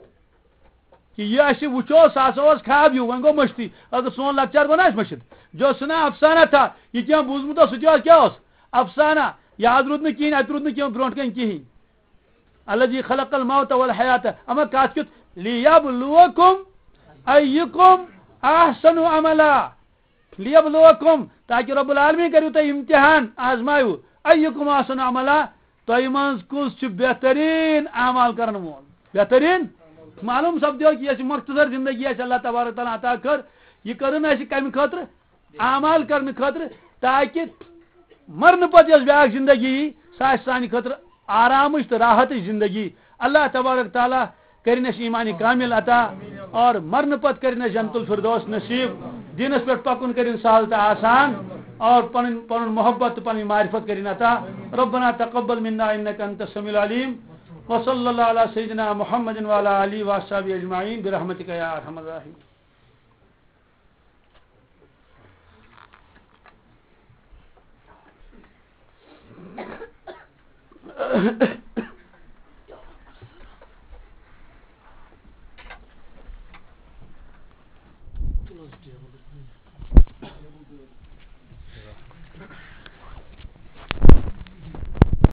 کہِ یہِ اَسہِ وٕچھو، سُہ ہسا اوس خواب ہیوٗ، وۄنۍ گوٚو مٔشتٕے۔ اگر سون لۄکچار گوٚو نہ اَسہِ مٔشِتھ، جو سُنا افسانہ تھا، یہِ کینٛہہ بوٗزمُت اوس، سُہ تہِ اوس، کیٛاہ اوس؟ افسانہ۔ یاد روٗد نہٕ کِہیٖنۍ، اَتہِ روٗد نہٕ کینٛہہ برونٛٹھ کَنہِ کِہیٖنۍ۔ الذی خلق الموت والحیات، اما کَتھ کیُتھ؟ لیبلوکم ایکم احسن عملا۔ لیبلوکم، تاکہ رب العالمین کٔرِو تۄہہِ امتحان، آزمایو، ایکم احسن عملا، تۄہہِ منٛز کُس چھُ بہتریٖن اعمال کرن وول؟ بہتریٖن؟ معلوم سپدیو کہ یۄس یہِ مختصر زندگی اَسہِ اللہ تبارک تعالیٰ عطا کٔر، یہِ کٔرٕن اَسہِ کمہِ خٲطرٕ؟ اعمال کرنہٕ خٲطرٕ، تاکہ مرنہٕ پتہٕ یۄس بیاکھ زندگی یی، سۄ آسہِ سانہِ خٲطرٕ آرامٕچ تہٕ راحتٕچ زندگی۔ اللہ تبارک تعالیٰ کٔرِنۍ اَسہِ ایٖمان کامل عطا، اور مرنہٕ پتہٕ کٔرِنۍ اَسہِ جنت الفردوس نصیب۔ دیٖنس پٮ۪ٹھ پکُن کٔرِنۍ سہل تہٕ آسان، اور پنٕنۍ، پنُن محبت تہٕ پنٕنۍ معرفت کٔرِنۍ عطا۔ ربنا تقبل منا انك انت السميع العليم۔ وصلى الله على سيدنا محمد وعلى آله وأصحابه أجمعين برحمتك يا أرحم الراحمين۔